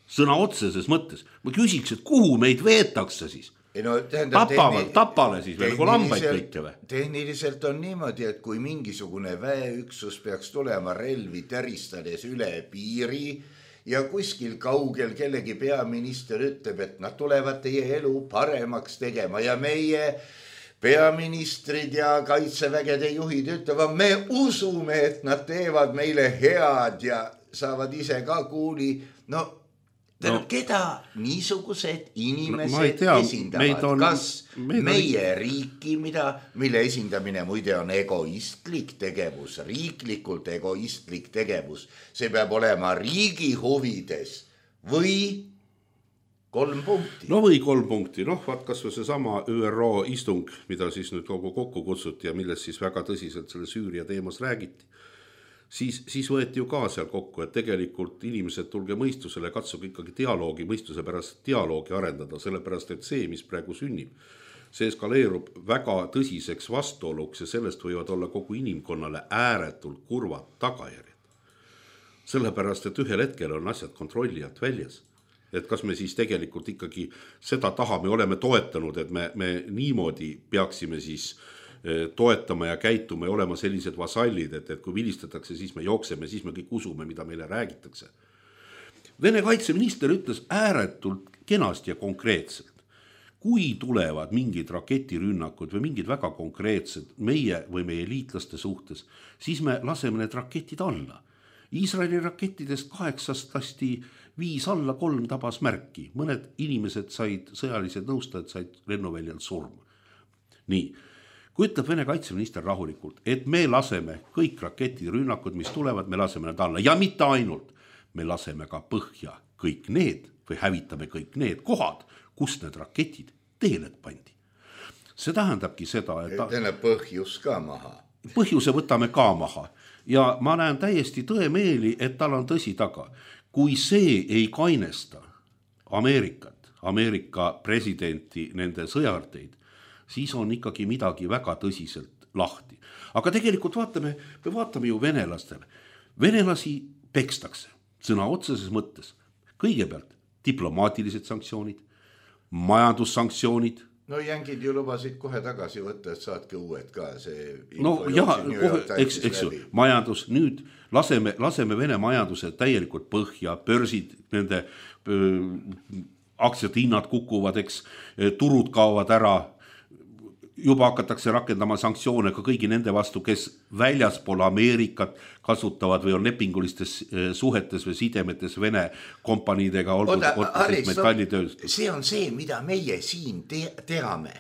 Sõna otseses mõttes. Ma küsiks, et kuhu meid veetakse siis? Ei no, tähendab, Tapame, tehni... tapale siis veel, nagu lambaid kõike või? Tehniliselt on niimoodi, et kui mingisugune väeüksus peaks tulema relvi teristades üle piiri, ja kuskil kaugel kellegi peaminister ütleb, et nad tulevad teie elu paremaks tegema ja meie peaministrid ja kaitsevägede juhid ütlevad, me usume, et nad teevad meile head ja saavad ise ka kuuli. No, no keda niisugused inimesed no, esindavad? On, kas meie on... riiki, mida, mille esindamine muide on egoistlik tegevus, riiklikult egoistlik tegevus, see peab olema riigi huvides või kolm punkti? No või kolm punkti, noh, vaat kas või see sama Ü R O istung, mida siis nüüd kogu kokku kutsuti ja millest siis väga tõsiselt selle Süüria teemas räägiti. Siis, siis võeti ju ka seal kokku, et tegelikult inimesed tulge mõistusele, katsuge ikkagi dialoogi, mõistuse pärast dialoogi arendada, sellepärast, et see, mis praegu sünnib, see eskaleerub väga tõsiseks vastuoluks ja sellest võivad olla kogu inimkonnale ääretult kurvad tagajärjed. Sellepärast, et ühel hetkel on asjad kontrolli alt väljas. Et kas me siis tegelikult ikkagi seda taha me oleme toetanud, et me, me niimoodi peaksime siis toetama ja käituma ja olema sellised vasallid, et, et kui vilistatakse, siis me jookseme, siis me kõik usume, mida meile räägitakse. Vene kaitseminister ütles ääretult kenasti ja konkreetselt. Kui tulevad mingid raketirünnakud või mingid väga konkreetsed meie või meie liitlaste suhtes, siis me laseme need raketid alla. Iisraeli rakettidest kaheksast lasti viis alla, kolm tabas märki. Mõned inimesed said, sõjalised nõustajad said lennuväljal surma. Nii. Kui ütleb Vene kaitseminister rahulikult, et me laseme kõik raketirünnakud, mis tulevad, me laseme need alla ja mitte ainult, me laseme ka põhja kõik need või hävitame kõik need kohad, kus need raketid teele pandi. See tähendabki seda, et... Teine põhjus ka maha. Põhjuse võtame ka maha ja ma näen täiesti tõemeeli, et tal on tõsi taga. Kui see ei kainesta Ameerikat, Ameerika presidenti, nende sõjarteid, siis on ikkagi midagi väga tõsiselt lahti. Aga tegelikult vaatame, me vaatame ju venelastele. Venelasi pekstakse sõna otseses mõttes. Kõigepealt diplomaatilised sanktsioonid, majandussanktsioonid. No jängid ju lubasid kohe tagasi võtta, et saadke uued ka. See no jah, eks, eks ju, majandus, nüüd laseme, laseme Vene majanduse täielikult põhja, börsid, nende öö, aktsiate hinnad kukuvad, eks, turud kaovad ära, juba hakatakse rakendama sanktsioone ka kõigi nende vastu, kes väljaspool Ameerikat kasutavad või on lepingulistes suhetes või sidemetes Vene kompaniidega, olgu otseselt metallitööst. See on see, mida meie siin te- teame.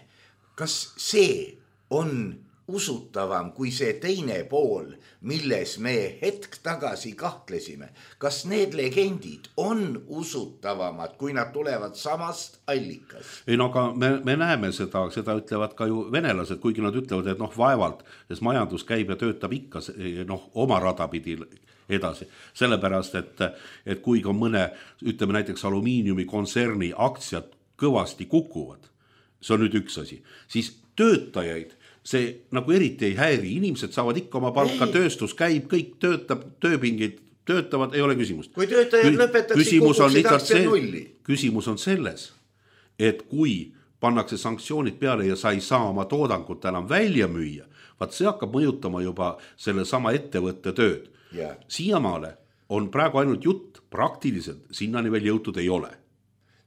Kas see on usutavam kui see teine pool, milles me hetk tagasi kahtlesime? Kas need legendid on usutavamad, kui nad tulevad samast allikast? Ei no aga me, me näeme seda, seda ütlevad ka ju venelased, kuigi nad ütlevad, et noh vaevalt, sest majandus käib ja töötab ikka noh, oma radapidi edasi. Sellepärast, et, et kuigi on mõne, ütleme näiteks alumiiniumi kontserni aktsiad kõvasti kukuvad, see on nüüd üks asi, siis töötajaid see nagu eriti ei häiri, inimesed saavad ikka oma palka, ei. Tööstus käib, kõik töötab, tööpingid töötavad, ei ole küsimust. Kui töötajad Kü- lõpetaksid, kukuksid aktsiad nulli. Küsimus on selles, et kui pannakse sanktsioonid peale ja sa ei saa oma toodangut enam välja müüa, vaat see hakkab mõjutama juba selle sama ettevõtte tööd. Yeah. Siiamaale on praegu ainult jutt, praktiliselt sinnani veel jõutud ei ole.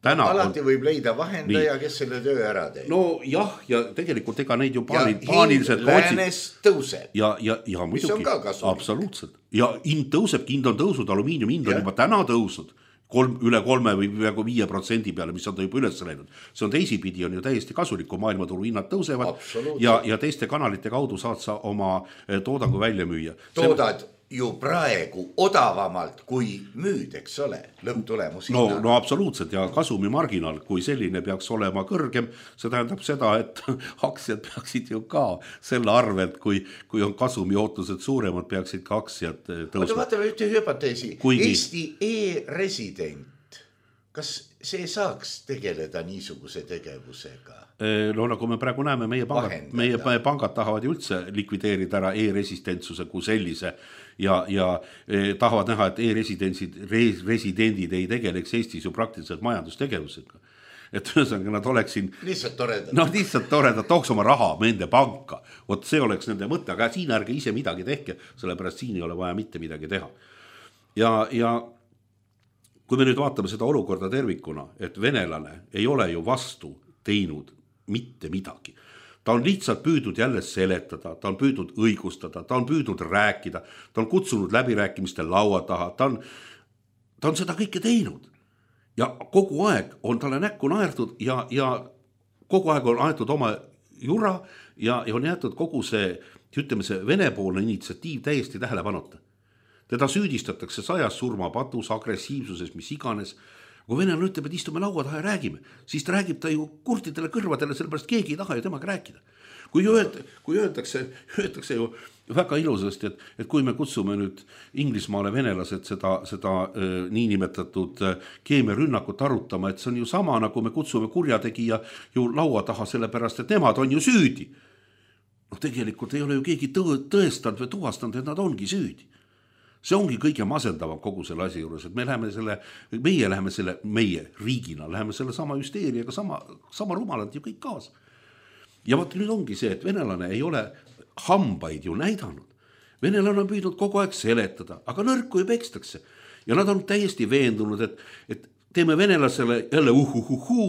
Täna alati on... võib leida vahendaja, kes selle töö ära teeb. No jah, ja tegelikult ega neid ju paani, ja paaniliselt läänes tõuseb. Ja, ja, ja muidugi, absoluutselt. Ja hind tõuseb, hind on tõusud, alumiinium hind on ja. juba täna tõusnud. Kolm, üle kolme või peaaegu viie protsendi peale, mis on ta juba üles läinud. See on teisipidi, on ju täiesti kasulik, kui maailmaturu hinnad tõusevad ja, ja teiste kanalite kaudu saad sa oma toodangu välja müüa. Toodad see... ju praegu odavamalt kui müüd, eks ole, lõpptulemus no, no absoluutselt ja kasumi marginaal, kui selline peaks olema kõrgem, see tähendab seda, et aktsiad peaksid ju ka selle arvelt, kui, kui on kasumi ootused suuremad, peaksid ka aktsiad tõusma. Vaatame ühte hüpoteesi. Kuigi... Eesti e-resident, kas see saaks tegeleda niisuguse tegevusega? No nagu me praegu näeme, meie pangad, meie pangad tahavad ju üldse likvideerida ära e-residentsuse kui sellise ja, ja eh, tahavad näha, et e-residentsid, residendid ei tegeleks Eestis ju praktiliselt majandustegevusega. Et ühesõnaga nad oleks siin... Lihtsalt toredad. No lihtsalt toredad, tooks oma raha nende panka. Vot see oleks nende mõte, aga siin ärge ise midagi tehke, sellepärast siin ei ole vaja mitte midagi teha. Ja, ja kui me nüüd vaatame seda olukorda tervikuna, et venelane ei ole ju vastu teinud mitte midagi. Ta on lihtsalt püüdnud jälle seletada, ta on püüdnud õigustada, ta on püüdnud rääkida, ta on kutsunud läbirääkimiste laua taha, ta on, ta on seda kõike teinud. Ja kogu aeg on talle näkku naerdud ja, ja kogu aeg on aetud oma jura ja, ja on jäetud kogu see, ütleme see venepoolne initsiatiiv täiesti tähelepanuta. Teda süüdistatakse sajas surmapatus, agressiivsuses, mis iganes. Kui venelane ütleb, et istume laua taha ja räägime, siis ta räägib ta ju kurtidele kõrvadele, sellepärast keegi ei taha ju temaga rääkida. Kui, öelda, kui öeldakse, öeldakse ju väga ilusasti, et, et kui me kutsume nüüd Inglismaale venelased seda, seda äh, niinimetatud äh, keemiarünnakut arutama, et see on ju sama, nagu me kutsume kurjategija ju laua taha, sellepärast, et nemad on ju süüdi. No tegelikult ei ole ju keegi tõ- tõestanud või tuvastanud, et nad ongi süüdi. See ongi kõige masendavam kogu selle asi juures, et me läheme selle, meie läheme selle, meie riigina, läheme selle sama hüsteeriaga, sama, sama rumalalt ju kõik kaasa. Ja vaat nüüd ongi see, et venelane ei ole hambaid ju näidanud. Venelane on püüdnud kogu aeg seletada, aga nõrku ju pekstakse. Ja nad on täiesti veendunud, et, et teeme venelasele jälle uhuhuhu,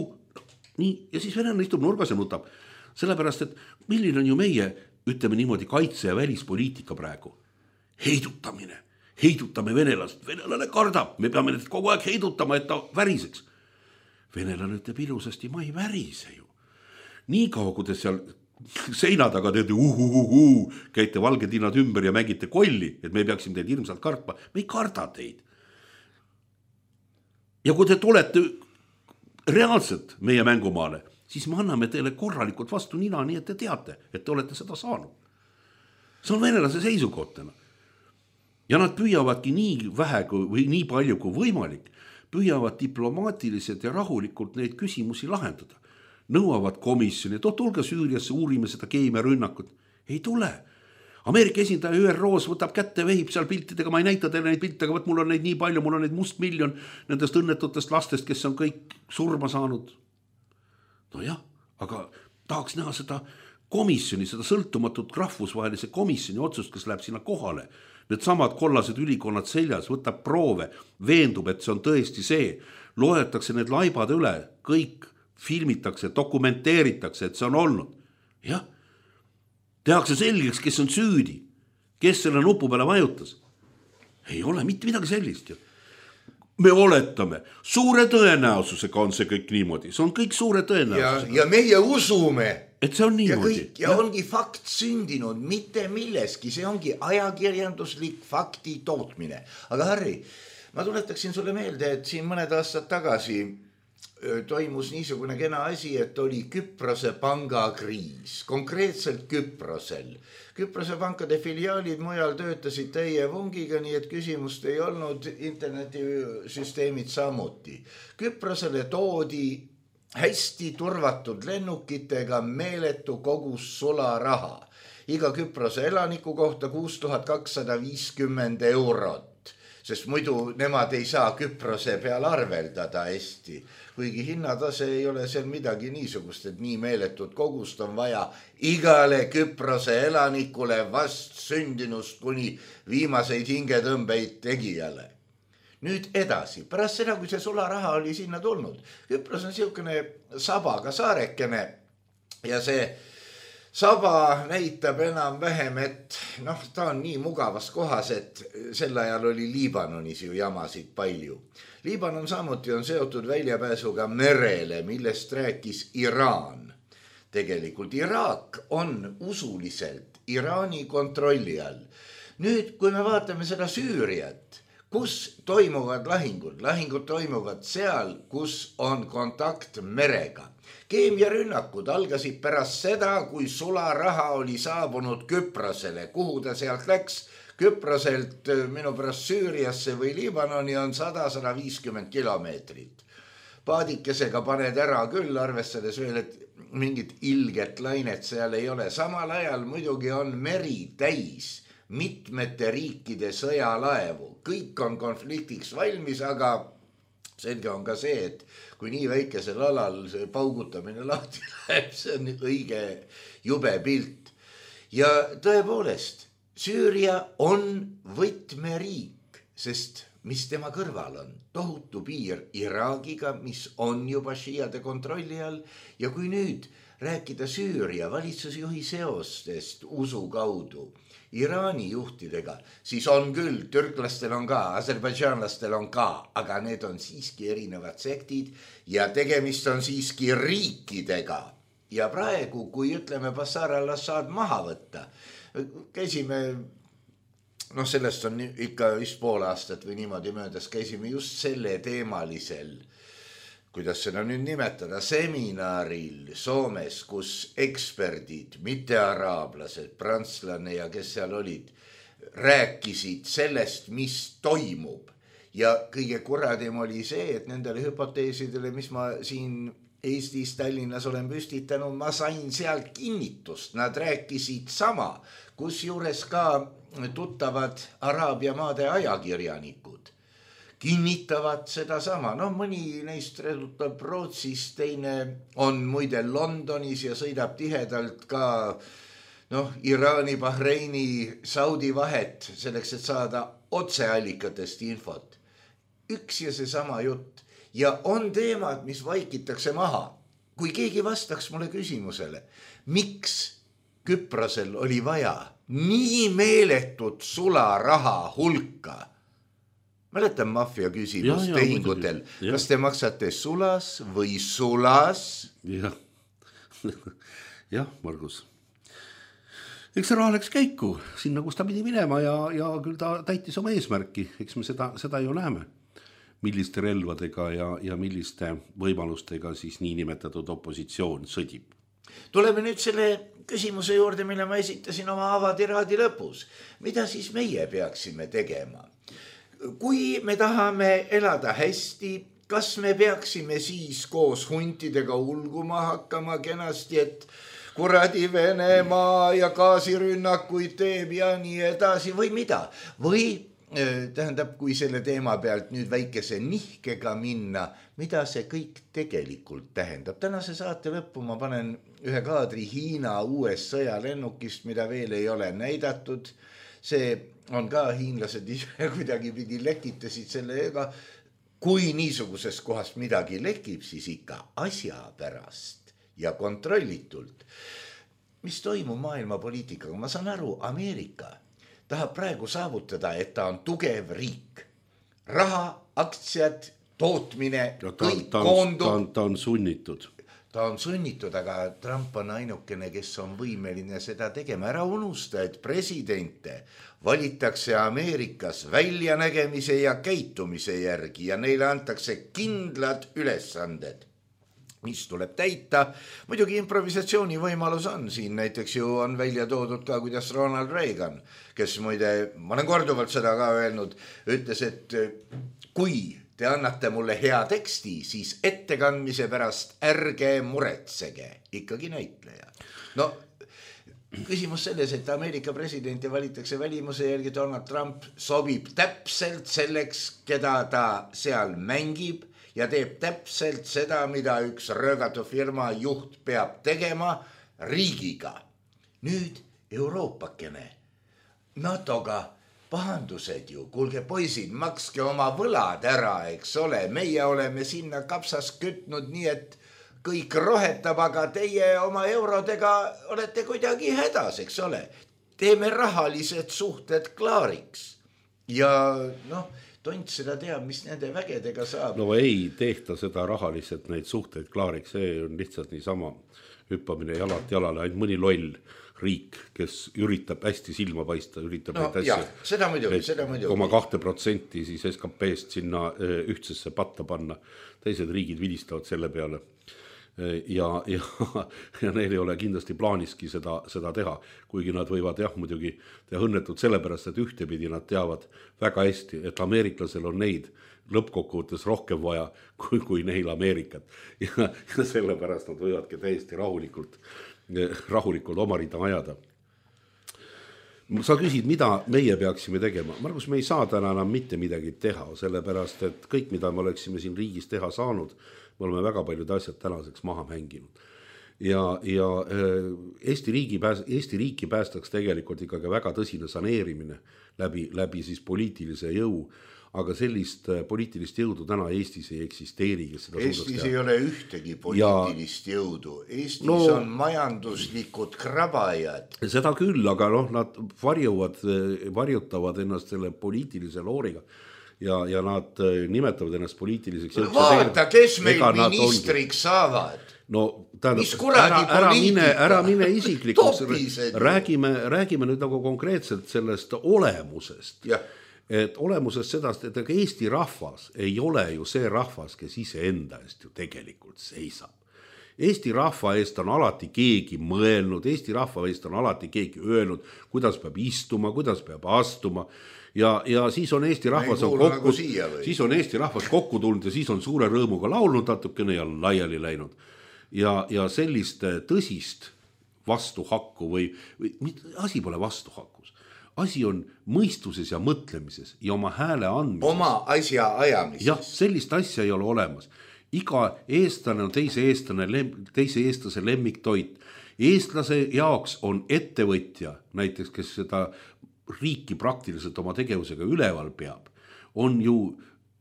nii, ja siis venelane istub nurgas ja nutab. Sellepärast, et milline on ju meie, ütleme niimoodi, kaitse- ja välispoliitika praegu? Heidutamine. Heidutame venelast, venelane kardab, me peame need kogu aeg heidutama, et ta väriseks. Venelane ütleb ilusasti, ma ei värise ju. Nii kaua, kui te seal seina taga teete uhuhuhu, käite valgedinad ümber ja mängite kolli, et me peaksime teid hirmsalt kartma, me ei karda teid. Ja kui te tulete reaalselt meie mängumaale, siis me anname teile korralikult vastu nina, nii et te teate, et te olete seda saanud. See on venelase seisukohtena. Ja nad püüavadki nii vähe või nii palju kui võimalik, püüavad diplomaatiliselt ja rahulikult neid küsimusi lahendada. Nõuavad komisjoni, et tulge Süüriasse, uurime seda keemiarünnakut. Ei tule. Ameerika esindaja Ü R O-s võtab kätte, vehib seal piltidega, ma ei näita teile neid pilte, aga võt, mul on neid nii palju, mul on neid must miljon nendest õnnetutest lastest, kes on kõik surma saanud. No jah, aga tahaks näha seda komisjoni, seda sõltumatut rahvusvahelise komisjoni otsust, kes läheb sinna kohale. Need samad kollased ülikonnad seljas, võtab proove, veendub, et see on tõesti see. Loetakse need laibad üle, kõik filmitakse, dokumenteeritakse, et see on olnud. Jah, tehakse selgeks, kes on süüdi, kes selle nupu peale vajutas. Ei ole mitte midagi sellist ju. Me oletame, suure tõenäosusega on see kõik niimoodi, see on kõik suure tõenäosusega. Ja, ja meie usume. Et see on niimoodi. Ja, kõik, ja, ja ongi fakt sündinud, mitte milleski, see ongi ajakirjanduslik fakti tootmine. Aga Harri, ma tuletaksin sulle meelde, et siin mõned aastad tagasi toimus niisugune kena asi, et oli Küprose pangakriis, konkreetselt Küprosel. Küprose pankade filiaalid mujal töötasid täie vungiga, nii et küsimust ei olnud, internetisüsteemid samuti. Küprosele toodi hästi turvatud lennukitega meeletu kogus sularaha. Iga Küprose elaniku kohta kuus tuhat kakssada viiskümmend eurot. sest muidu nemad ei saa Küprose peal arveldada hästi, kuigi hinnatase ei ole seal midagi niisugust, et nii meeletut kogust on vaja igale Küprose elanikule vast sündinust kuni viimaseid hingetõmbeid tegijale. Nüüd edasi, pärast seda, kui see sularaha oli sinna tulnud, Küpros on siukene sabaga saarekene ja see saba näitab enam vähem, et noh, ta on nii mugavas kohas, et sel ajal oli Liibanonis ju jamasid palju. Liibanon samuti on seotud väljapääsuga merele, millest rääkis Iraan. Tegelikult Iraak on usuliselt Iraani kontrolli all. Nüüd, kui me vaatame seda Süüriat, kus toimuvad lahingud? Lahingud toimuvad seal, kus on kontakt merega. Keemiarünnakud algasid pärast seda, kui sularaha oli saabunud Küprosele. Kuhu ta sealt läks? Küproselt minu pärast Süüriasse või Liibanoni on sada kuni sada viiskümmend kilomeetrit. Paadikesega paned ära küll, arvestades veel, et mingit ilget lainet seal ei ole. Samal ajal muidugi on meri täis mitmete riikide sõjalaevu. Kõik on konfliktiks valmis, aga selge on ka see, et kui nii väikesel alal see paugutamine lahti läheb, see on õige jube pilt. Ja tõepoolest, Süüria on võtmeriik, sest mis tema kõrval on? Tohutu piir Iraagiga, mis on juba šiiade kontrolli all. Ja kui nüüd rääkida Süüria valitsusjuhi seostest usu kaudu Iraani juhtidega, siis on küll, türklastel on ka, aserbaidžaanlastel on ka, aga need on siiski erinevad sektid ja tegemist on siiski riikidega. Ja praegu, kui ütleme Bashar al-Assad maha võtta, käisime, noh sellest on ikka vist pool aastat või niimoodi möödas, käisime just selle teemalisel, kuidas seda nüüd nimetada, seminaril Soomes, kus eksperdid, mitte araablased, prantslane ja kes seal olid, rääkisid sellest, mis toimub. Ja kõige kuradim oli see, et nendele hüpoteesidele, mis ma siin Eestis, Tallinnas olen püstitanud, ma sain seal kinnitust. Nad rääkisid sama, kus juures ka tuttavad Araabia maade ajakirjanikud kinnitavad seda sama. No mõni neist redutab Rootsis, teine on muide Londonis ja sõidab tihedalt ka noh, Iraani, Bahreini, Saudi vahet selleks, et saada otseallikatest infot. Üks ja see sama jutt. Ja on teemad, mis vaikitakse maha. Kui keegi vastaks mulle küsimusele, miks Küprosel oli vaja nii meeletut sularaha hulka? Mäletan maffia küsimus ja, ja, tehingutel. Ja. Kas te maksate sulas või sulas? Jah, jah, Margus. Eks see raha läks käiku sinna, kus ta pidi minema ja, ja küll ta täitis oma eesmärki. Eks me seda, seda ju näeme, milliste relvadega ja, ja milliste võimalustega siis niinimetatud opositsioon sõdib. Tuleme nüüd selle küsimuse juurde, mille ma esitasin oma avatiraadi lõpus. Mida siis meie peaksime tegema? Kui me tahame elada hästi, kas me peaksime siis koos huntidega ulguma hakkama kenasti, et kuradi Venemaa ja gaasirünnakuid teeb ja nii edasi või mida? Või tähendab, kui selle teema pealt nüüd väikese nihkega minna, mida see kõik tegelikult tähendab? Tänase saate lõppu ma panen ühe kaadri Hiina uues sõjalennukist, mida veel ei ole näidatud. See on ka hiinlased ise kuidagi pidi lekitasid sellega. Kui niisuguses kohast midagi lekib, siis ikka asja pärast ja kontrollitult. Mis toimub maailma poliitikaga? Ma saan aru, Ameerika tahab praegu saavutada, et ta on tugev riik. Raha, aktsiad, tootmine, ta, kõik ta, koondub. Ta, ta on sunnitud. Ta on sunnitud, aga Trump on ainukene, kes on võimeline seda tegema. Ära unusta, et presidente valitakse Ameerikas väljanägemise ja käitumise järgi ja neile antakse kindlad ülesanded, mis tuleb täita. Muidugi improvisatsiooni võimalus on siin, näiteks ju on välja toodud ka, kuidas Ronald Reagan, kes muide, ma olen korduvalt seda ka öelnud, ütles, et kui te annate mulle hea teksti, siis ettekandmise pärast ärge muretsege, ikkagi näitleja. No küsimus selles, et Ameerika presidenti valitakse välimuse järgi, Donald Trump sobib täpselt selleks, keda ta seal mängib ja teeb täpselt seda, mida üks röögatu firma juht peab tegema riigiga. Nüüd Euroopakene, NATOga pahandused ju, kuulge poisid, makske oma võlad ära, eks ole, meie oleme sinna kapsas kütnud nii, et kõik rohetab, aga teie oma eurodega olete kuidagi hädas, eks ole. Teeme rahalised suhted klaariks. Ja noh, tont seda teab, mis nende vägedega saab. No ei tehta seda rahaliselt neid suhteid klaariks, see on lihtsalt niisama hüppamine jalalt jalale, ainult mõni loll riik, kes üritab hästi silma paista, üritab no, neid asju, seda muidugi, seda muidugi. Oma kahte protsenti siis S K P-st sinna ühtsesse patta panna. Teised riigid vilistavad selle peale. Ja, ja, ja neil ei ole kindlasti plaaniski seda, seda teha, kuigi nad võivad jah muidugi teha õnnetud sellepärast, et ühtepidi nad teavad väga hästi, et ameeriklasel on neid lõppkokkuvõttes rohkem vaja kui, kui neil Ameerikat ja, ja sellepärast nad võivadki täiesti rahulikult, rahulikult oma rida ajada. Sa küsid, mida meie peaksime tegema. Margus, me ei saa täna enam mitte midagi teha, sellepärast, et kõik, mida me oleksime siin riigis teha saanud, me oleme väga paljud asjad tänaseks maha mänginud. Ja, ja Eesti, riigi pääs, Eesti riiki päästaks tegelikult ikkagi väga tõsine saneerimine läbi, läbi siis poliitilise jõu, aga sellist poliitilist jõudu täna Eestis ei eksisteeri. Eestis ei ole ühtegi poliitilist ja, jõudu. Eestis no, on majanduslikud krabajad. Seda küll, aga noh, nad varjuvad, varjutavad ennast selle poliitilise looriga. Ja, ja nad nimetavad ennast poliitiliseks jõuks. Vaata, kes meil ministriks saavad. No, tähendab, ära, ära, mine, ära mine isiklikuks. Räägime, räägime nüüd nagu konkreetselt sellest olemusest. Ja. Et olemusest sedast, et Eesti rahvas ei ole ju see rahvas, kes ise enda eest ju tegelikult seisab. Eesti rahva eest on alati keegi mõelnud, Eesti rahva eest on alati keegi öelnud, kuidas peab istuma, kuidas peab astuma. Ja, ja siis on Eesti rahvas on kokku, nagu siis on Eesti rahvas kokku tulnud ja siis on suure rõõmuga laulnud natukene ja laiali läinud. Ja, ja sellist tõsist vastuhakku või, või asi pole vastuhakus. Asi on mõistuses ja mõtlemises ja oma hääle andmises. Oma asja ajamises. Jah, sellist asja ei ole olemas. Iga eestlane on teise eestlane, teise eestlase lemmiktoit. Eestlase jaoks on ettevõtja, näiteks kes seda riiki praktiliselt oma tegevusega üleval peab, on ju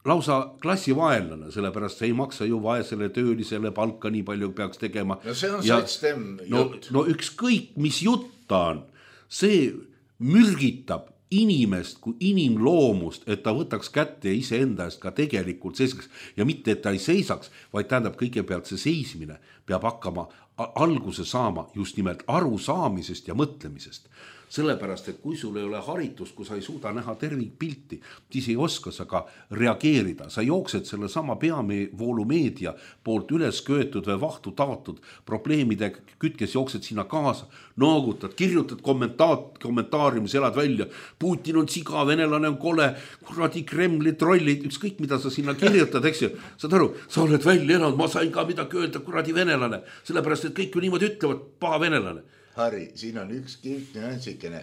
lausa klassivaenlane, sellepärast see ei maksa ju vaesele töölisele palka nii palju peaks tegema. No see on sotsdem jutt. No, no ükskõik, mis jutt ta on, see mürgitab inimest kui inimloomust, et ta võtaks kätte ja ise enda eest ka tegelikult seisaks. Ja mitte, et ta ei seisaks, vaid tähendab kõigepealt see seismine peab hakkama alguse saama just nimelt arusaamisest ja mõtlemisest. Sellepärast, et kui sul ei ole haritust, kui sa ei suuda näha tervikpilti, siis ei oska sa ka reageerida. Sa jooksed selle sama peavoolumeedia poolt üles köetud või vahtu taotud probleemide kütkes, jooksed sinna kaasa, noogutad, kirjutad kommentaat, kommentaariumis, elad välja. Putin on siga, venelane on kole, kuradi Kremli trollid, ükskõik mida sa sinna kirjutad, eks ju. Saad aru, sa oled välja elanud, ma sain ka midagi öelda, kuradi venelane. Sellepärast, et kõik ju niimoodi ütlevad, paha venelane. Harri, siin on üks kilt nüansikene.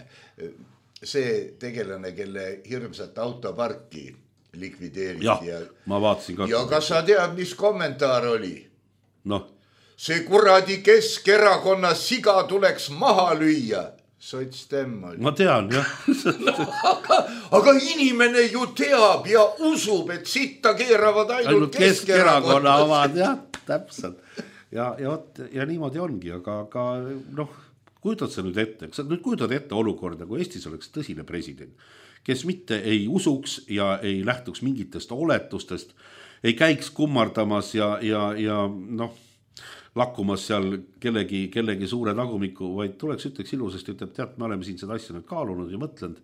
See tegelane, kelle hirmsat autoparki likvideeriti. Ja, ja, ma vaatasin ka. Ja kas sa tead, mis kommentaar oli? No. See kuradi Keskerakonna siga tuleks maha lüüa. Sotsdem oli. Ma tean, jah. no, aga, aga inimene ju teab ja usub, et sitta keeravad ainult, ainult Keskerakonna omad, jah, täpselt. Ja, ja, ja niimoodi ongi, aga, aga noh, kujutad sa nüüd ette, sa nüüd kujutad ette olukorda, kui Eestis oleks tõsine president, kes mitte ei usuks ja ei lähtuks mingitest oletustest, ei käiks kummardamas ja, ja, ja noh, lakkumas seal kellegi, kellegi suure tagumiku, vaid tuleks ütleks ilusasti, ütleb, tead, me oleme siin seda asja nüüd kaalunud ja mõtlenud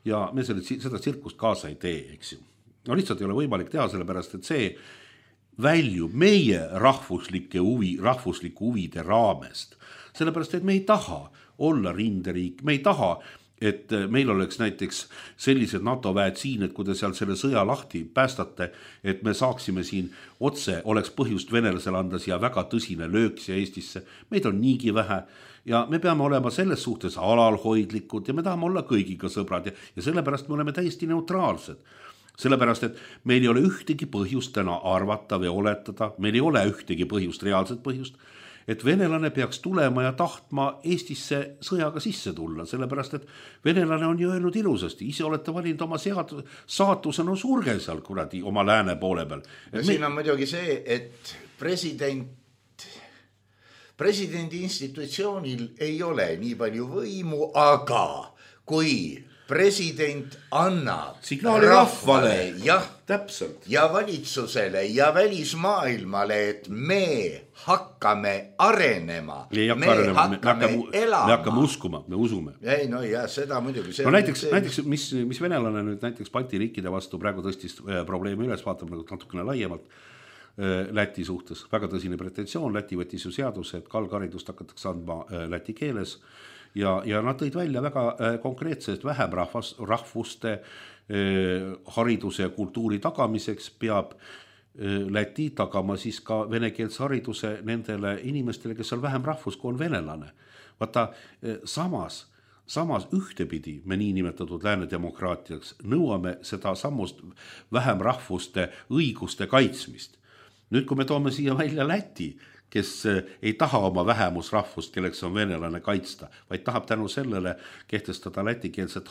ja me selle, seda tsirkust kaasa ei tee, eks ju. No lihtsalt ei ole võimalik teha, sellepärast, et see väljub meie rahvuslike huvi, rahvuslike huvide raamest. Sellepärast, et me ei taha olla rinderiik, me ei taha et meil oleks näiteks sellised NATO väed siin, et kui te seal selle sõja lahti päästate, et me saaksime siin otse, oleks põhjust venelasele anda siia väga tõsine löök siia Eestisse. Meid on niigi vähe ja me peame olema selles suhtes alalhoidlikud ja me tahame olla kõigiga sõbrad ja, ja sellepärast me oleme täiesti neutraalsed. Sellepärast, et meil ei ole ühtegi põhjust täna arvata või oletada, meil ei ole ühtegi põhjust, reaalset põhjust, et venelane peaks tulema ja tahtma Eestisse sõjaga sisse tulla, sellepärast, et venelane on ju öelnud ilusasti, ise olete valinud oma sead, saatuse, no surge seal kuradi oma lääne poole peal. Ja siin on muidugi see, et president, presidendi institutsioonil ei ole nii palju võimu, aga kui president annab signaali rahvale, jah, täpselt. Ja valitsusele ja välismaailmale, et me hakkame arenema, me hakka arenema, hakkame me hakkame, elama. Me hakkame uskuma, me usume. Ei, no ja seda muidugi. No näiteks, see, näiteks mis, mis venelane nüüd näiteks Balti riikide vastu praegu tõstis probleemi üles, vaatame natukene laiemalt Läti suhtes. Väga tõsine pretensioon, Läti võttis ju seaduse, et kalgaridust hakatakse andma läti keeles. Ja, ja nad tõid välja väga konkreetsest vähem rahvas, rahvuste eh, hariduse ja kultuuri tagamiseks peab eh, Läti tagama siis ka venekeelse hariduse nendele inimestele, kes on vähem rahvus, kui on venelane. Vaata, eh, samas, samas ühtepidi me niinimetatud lääne demokraatiaks nõuame seda sammust vähem rahvuste õiguste kaitsmist. Nüüd, kui me toome siia välja Läti, kes ei taha oma vähemusrahvust, kelleks on venelane kaitsta, vaid tahab tänu sellele kehtestada lätikeelset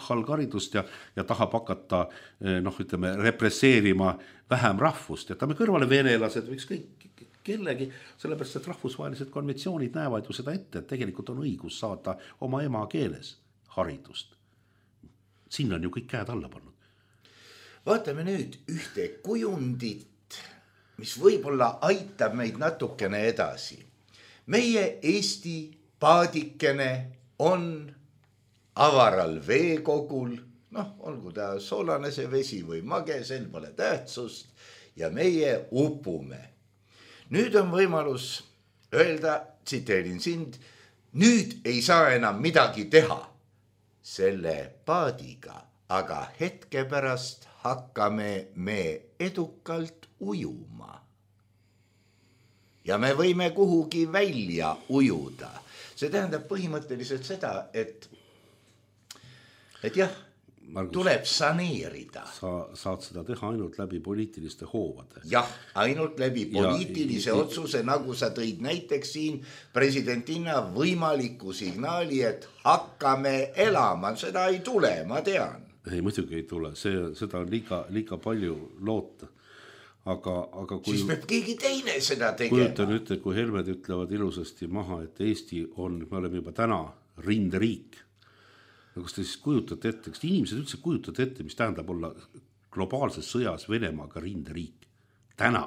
halgaridust ja, ja tahab hakata noh, ütleme, represseerima vähem rahvust. Jätame kõrvale venelased või ükskõik kellegi, sellepärast, et rahvusvahelised konventsioonid näevad ju seda ette, et tegelikult on õigus saada oma ema keeles haridust. Siin on ju kõik käed alla pannud. Vaatame nüüd ühte kujundit, mis võib-olla aitab meid natukene edasi. Meie Eesti paadikene on avaral veekogul, noh, olgu ta soolane see vesi või mage, sel pole tähtsust ja meie upume. Nüüd on võimalus öelda, tsiteerin sind, nüüd ei saa enam midagi teha selle paadiga, aga hetke pärast hakkame me edukalt ujuma. Ja me võime kuhugi välja ujuda. See tähendab põhimõtteliselt seda, et, et jah, Margus, tuleb saneerida. Sa saad seda teha ainult läbi poliitiliste hoovade. Jah, ainult läbi poliitilise ja, otsuse, nagu sa tõid näiteks siin presidentina võimaliku signaali, et hakkame elama. Seda ei tule, ma tean. Ei, muidugi ei tule, see, seda on liiga, liiga palju loota. Aga, aga kui, siis peab keegi teine seda tegema. Kujutan ütle, kui Helmed ütlevad ilusasti maha, et Eesti on, me oleme juba täna rinderiik. Kas te siis kujutate ette, kas inimesed üldse kujutate ette, mis tähendab olla globaalses sõjas Venemaaga rinderiik? Täna.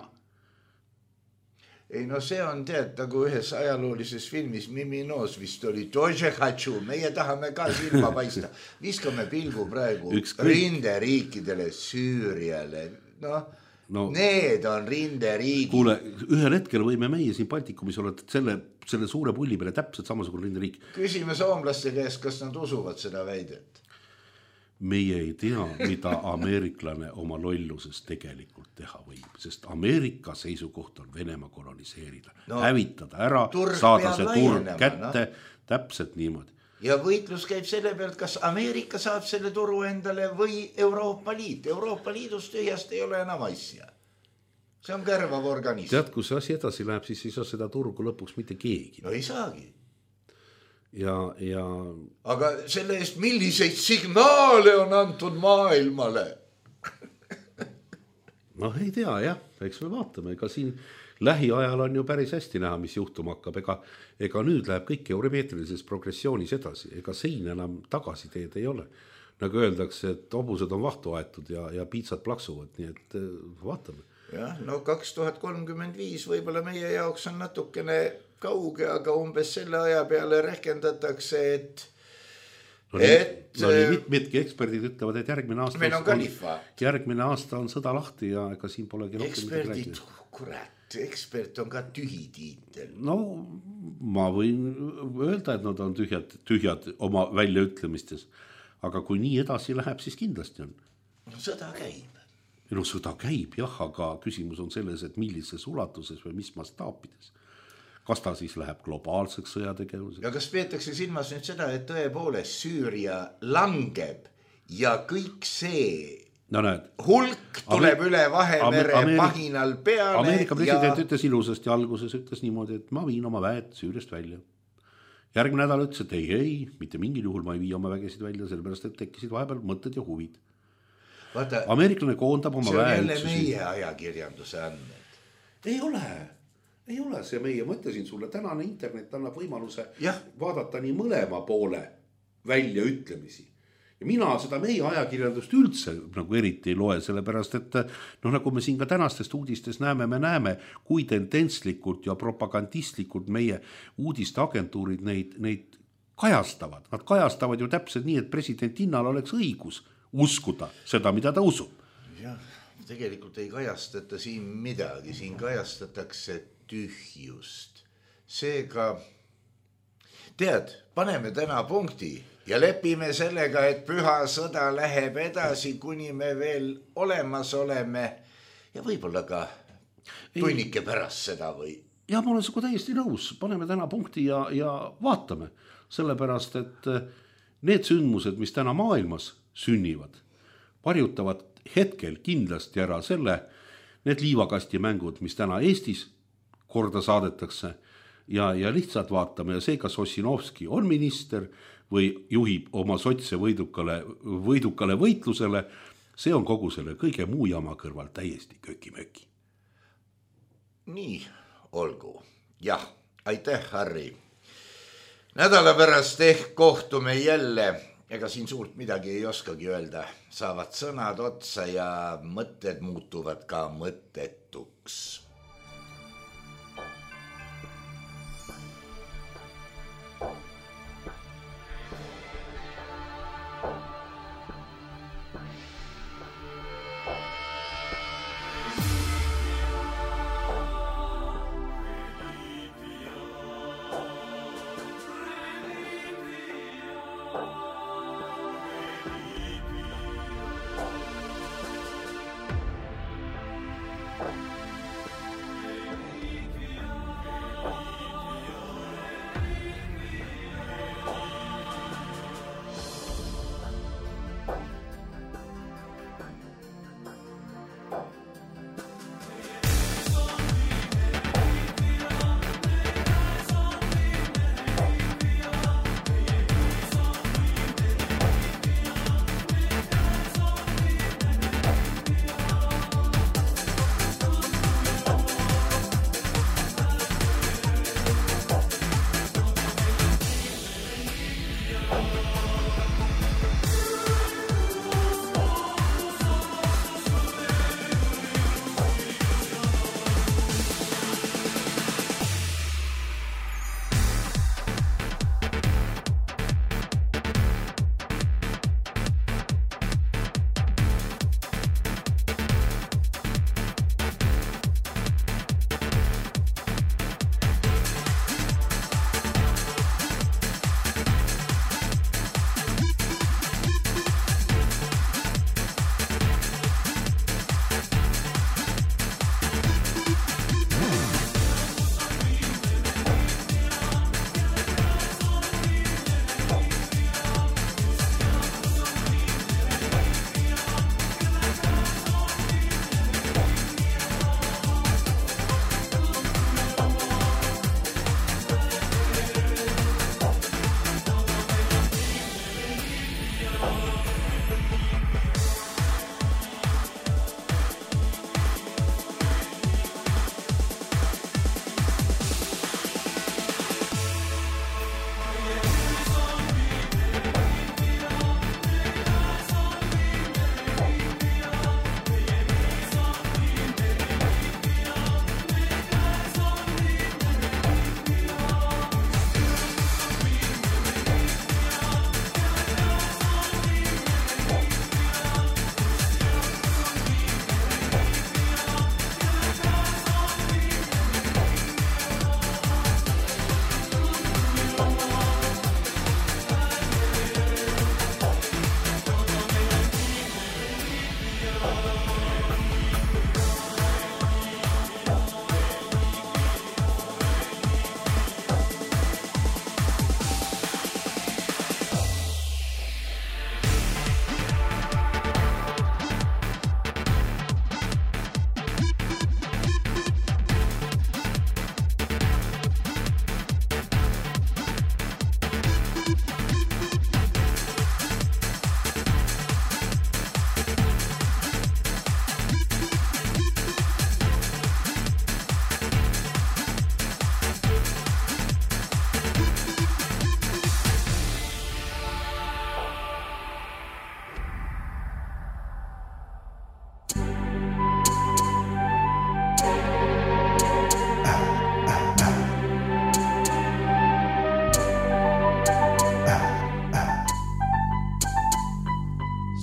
Ei, no see on tead, nagu ühes ajaloolises filmis Mimi Noos vist oli Dože Hatšu, meie tahame ka silma paista. Viskame pilgu praegu Ükskõik. Rinderiikidele, Süüriale, noh, no, need on rinderiigid. Kuule, ühel hetkel võime meie siin Baltikumis olla selle, selle suure pulli peale täpselt samasugune rinderiik. Küsime soomlaste käest, kas nad usuvad seda väidet. Meie ei tea, mida ameeriklane oma lolluses tegelikult teha võib, sest Ameerika seisukoht on Venemaa koloniseerida, no, hävitada ära, saada see turg kätte, no, täpselt niimoodi. Ja võitlus käib selle pealt, kas Ameerika saab selle turu endale või Euroopa Liit. Euroopa Liidust tühjast ei ole enam asja. See on kärvav organism. Tead, kui see asi edasi läheb, siis ei saa seda turgu lõpuks mitte keegi. No ei saagi. Ja, ja... Aga selle eest milliseid signaale on antud maailmale? noh, ei tea, jah. Eks me vaatame, ega siin lähiajal on ju päris hästi näha, mis juhtuma hakkab. Ega, ega nüüd läheb kõik euromeetrilises progressioonis edasi. Ega siin enam tagasiteed ei ole. Nagu öeldakse, et hobused on vahtu aetud ja, ja piitsad plaksuvad. Nii et vaatame. Jah, no kaks tuhat kolmkümmend viis võib-olla meie jaoks on natukene kauge, aga umbes selle aja peale rehkendatakse, et no, et no, mit, mitki eksperdid ütlevad, et järgmine aasta meil on kalifaat. Järgmine aasta on sõda lahti ja ega siin polegi eksperdid, kurat. ekspert on ka tühi tiitel. No ma võin öelda, et nad on tühjad, tühjad oma väljaütlemistes, aga kui nii edasi läheb, siis kindlasti on. No sõda käib. No sõda käib, jah, aga küsimus on selles, et millises ulatuses või mis mastaapides. Kas ta siis läheb globaalseks sõjategevuseks? Ja kas peetakse silmas nüüd seda, et tõepoolest Süüria langeb ja kõik see no, näed, hulk tuleb Amer- üle Vahemere Ameerik- pahinal peale. Ameerika president ja... ütles ilusasti alguses, ütles niimoodi, et ma viin oma väed Süüriast välja. Järgmine nädal ütles, et ei, ei, mitte mingil juhul ma ei vii oma vägesid välja, sellepärast, et tekkisid vahepeal mõtted ja huvid. Vaata, ameeriklane koondab oma väe. See on jälle meie ajakirjanduse andmed. Ei ole, ei ole see meie. Mõtlesin sulle, tänane internet annab võimaluse ja. vaadata nii mõlema poole välja ütlemisi. Ja mina seda meie ajakirjandust üldse nagu eriti ei loe, sellepärast, et noh, nagu me siin ka tänastest uudistes näeme, me näeme, kui tendentslikult ja propagandistlikult meie uudisteagentuurid neid, neid kajastavad. Nad kajastavad ju täpselt nii, et president Innal oleks õigus uskuda seda, mida ta usub. Jah, tegelikult ei kajastata siin midagi, siin kajastatakse tühjust. Seega, tead, paneme täna punkti ja lepime sellega, et püha sõda läheb edasi, kuni me veel olemas oleme ja võib-olla ka tunnike pärast seda või. Ja ma olen sinuga täiesti nõus, paneme täna punkti ja, ja vaatame, sellepärast, et need sündmused, mis täna maailmas sünnivad, varjutavad hetkel kindlasti ära selle, need liivakasti mängud, mis täna Eestis korda saadetakse ja, ja lihtsalt vaatame ja see, kas Ossinovski on minister või juhib oma sotse võidukale, võidukale võitlusele, see on kogu selle kõige muu jama kõrval täiesti köki-möki. Nii, olgu. Jah, aitäh, Harri. Nädala pärast ehk kohtume jälle. Ega siin suurt midagi ei oskagi öelda. Saavad sõnad otsa ja mõtted muutuvad ka mõttetuks.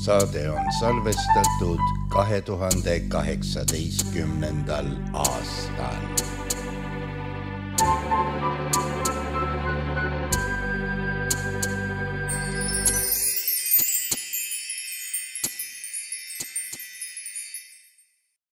saade on salvestatud kahe tuhande kaheksateistkümnendal aastal.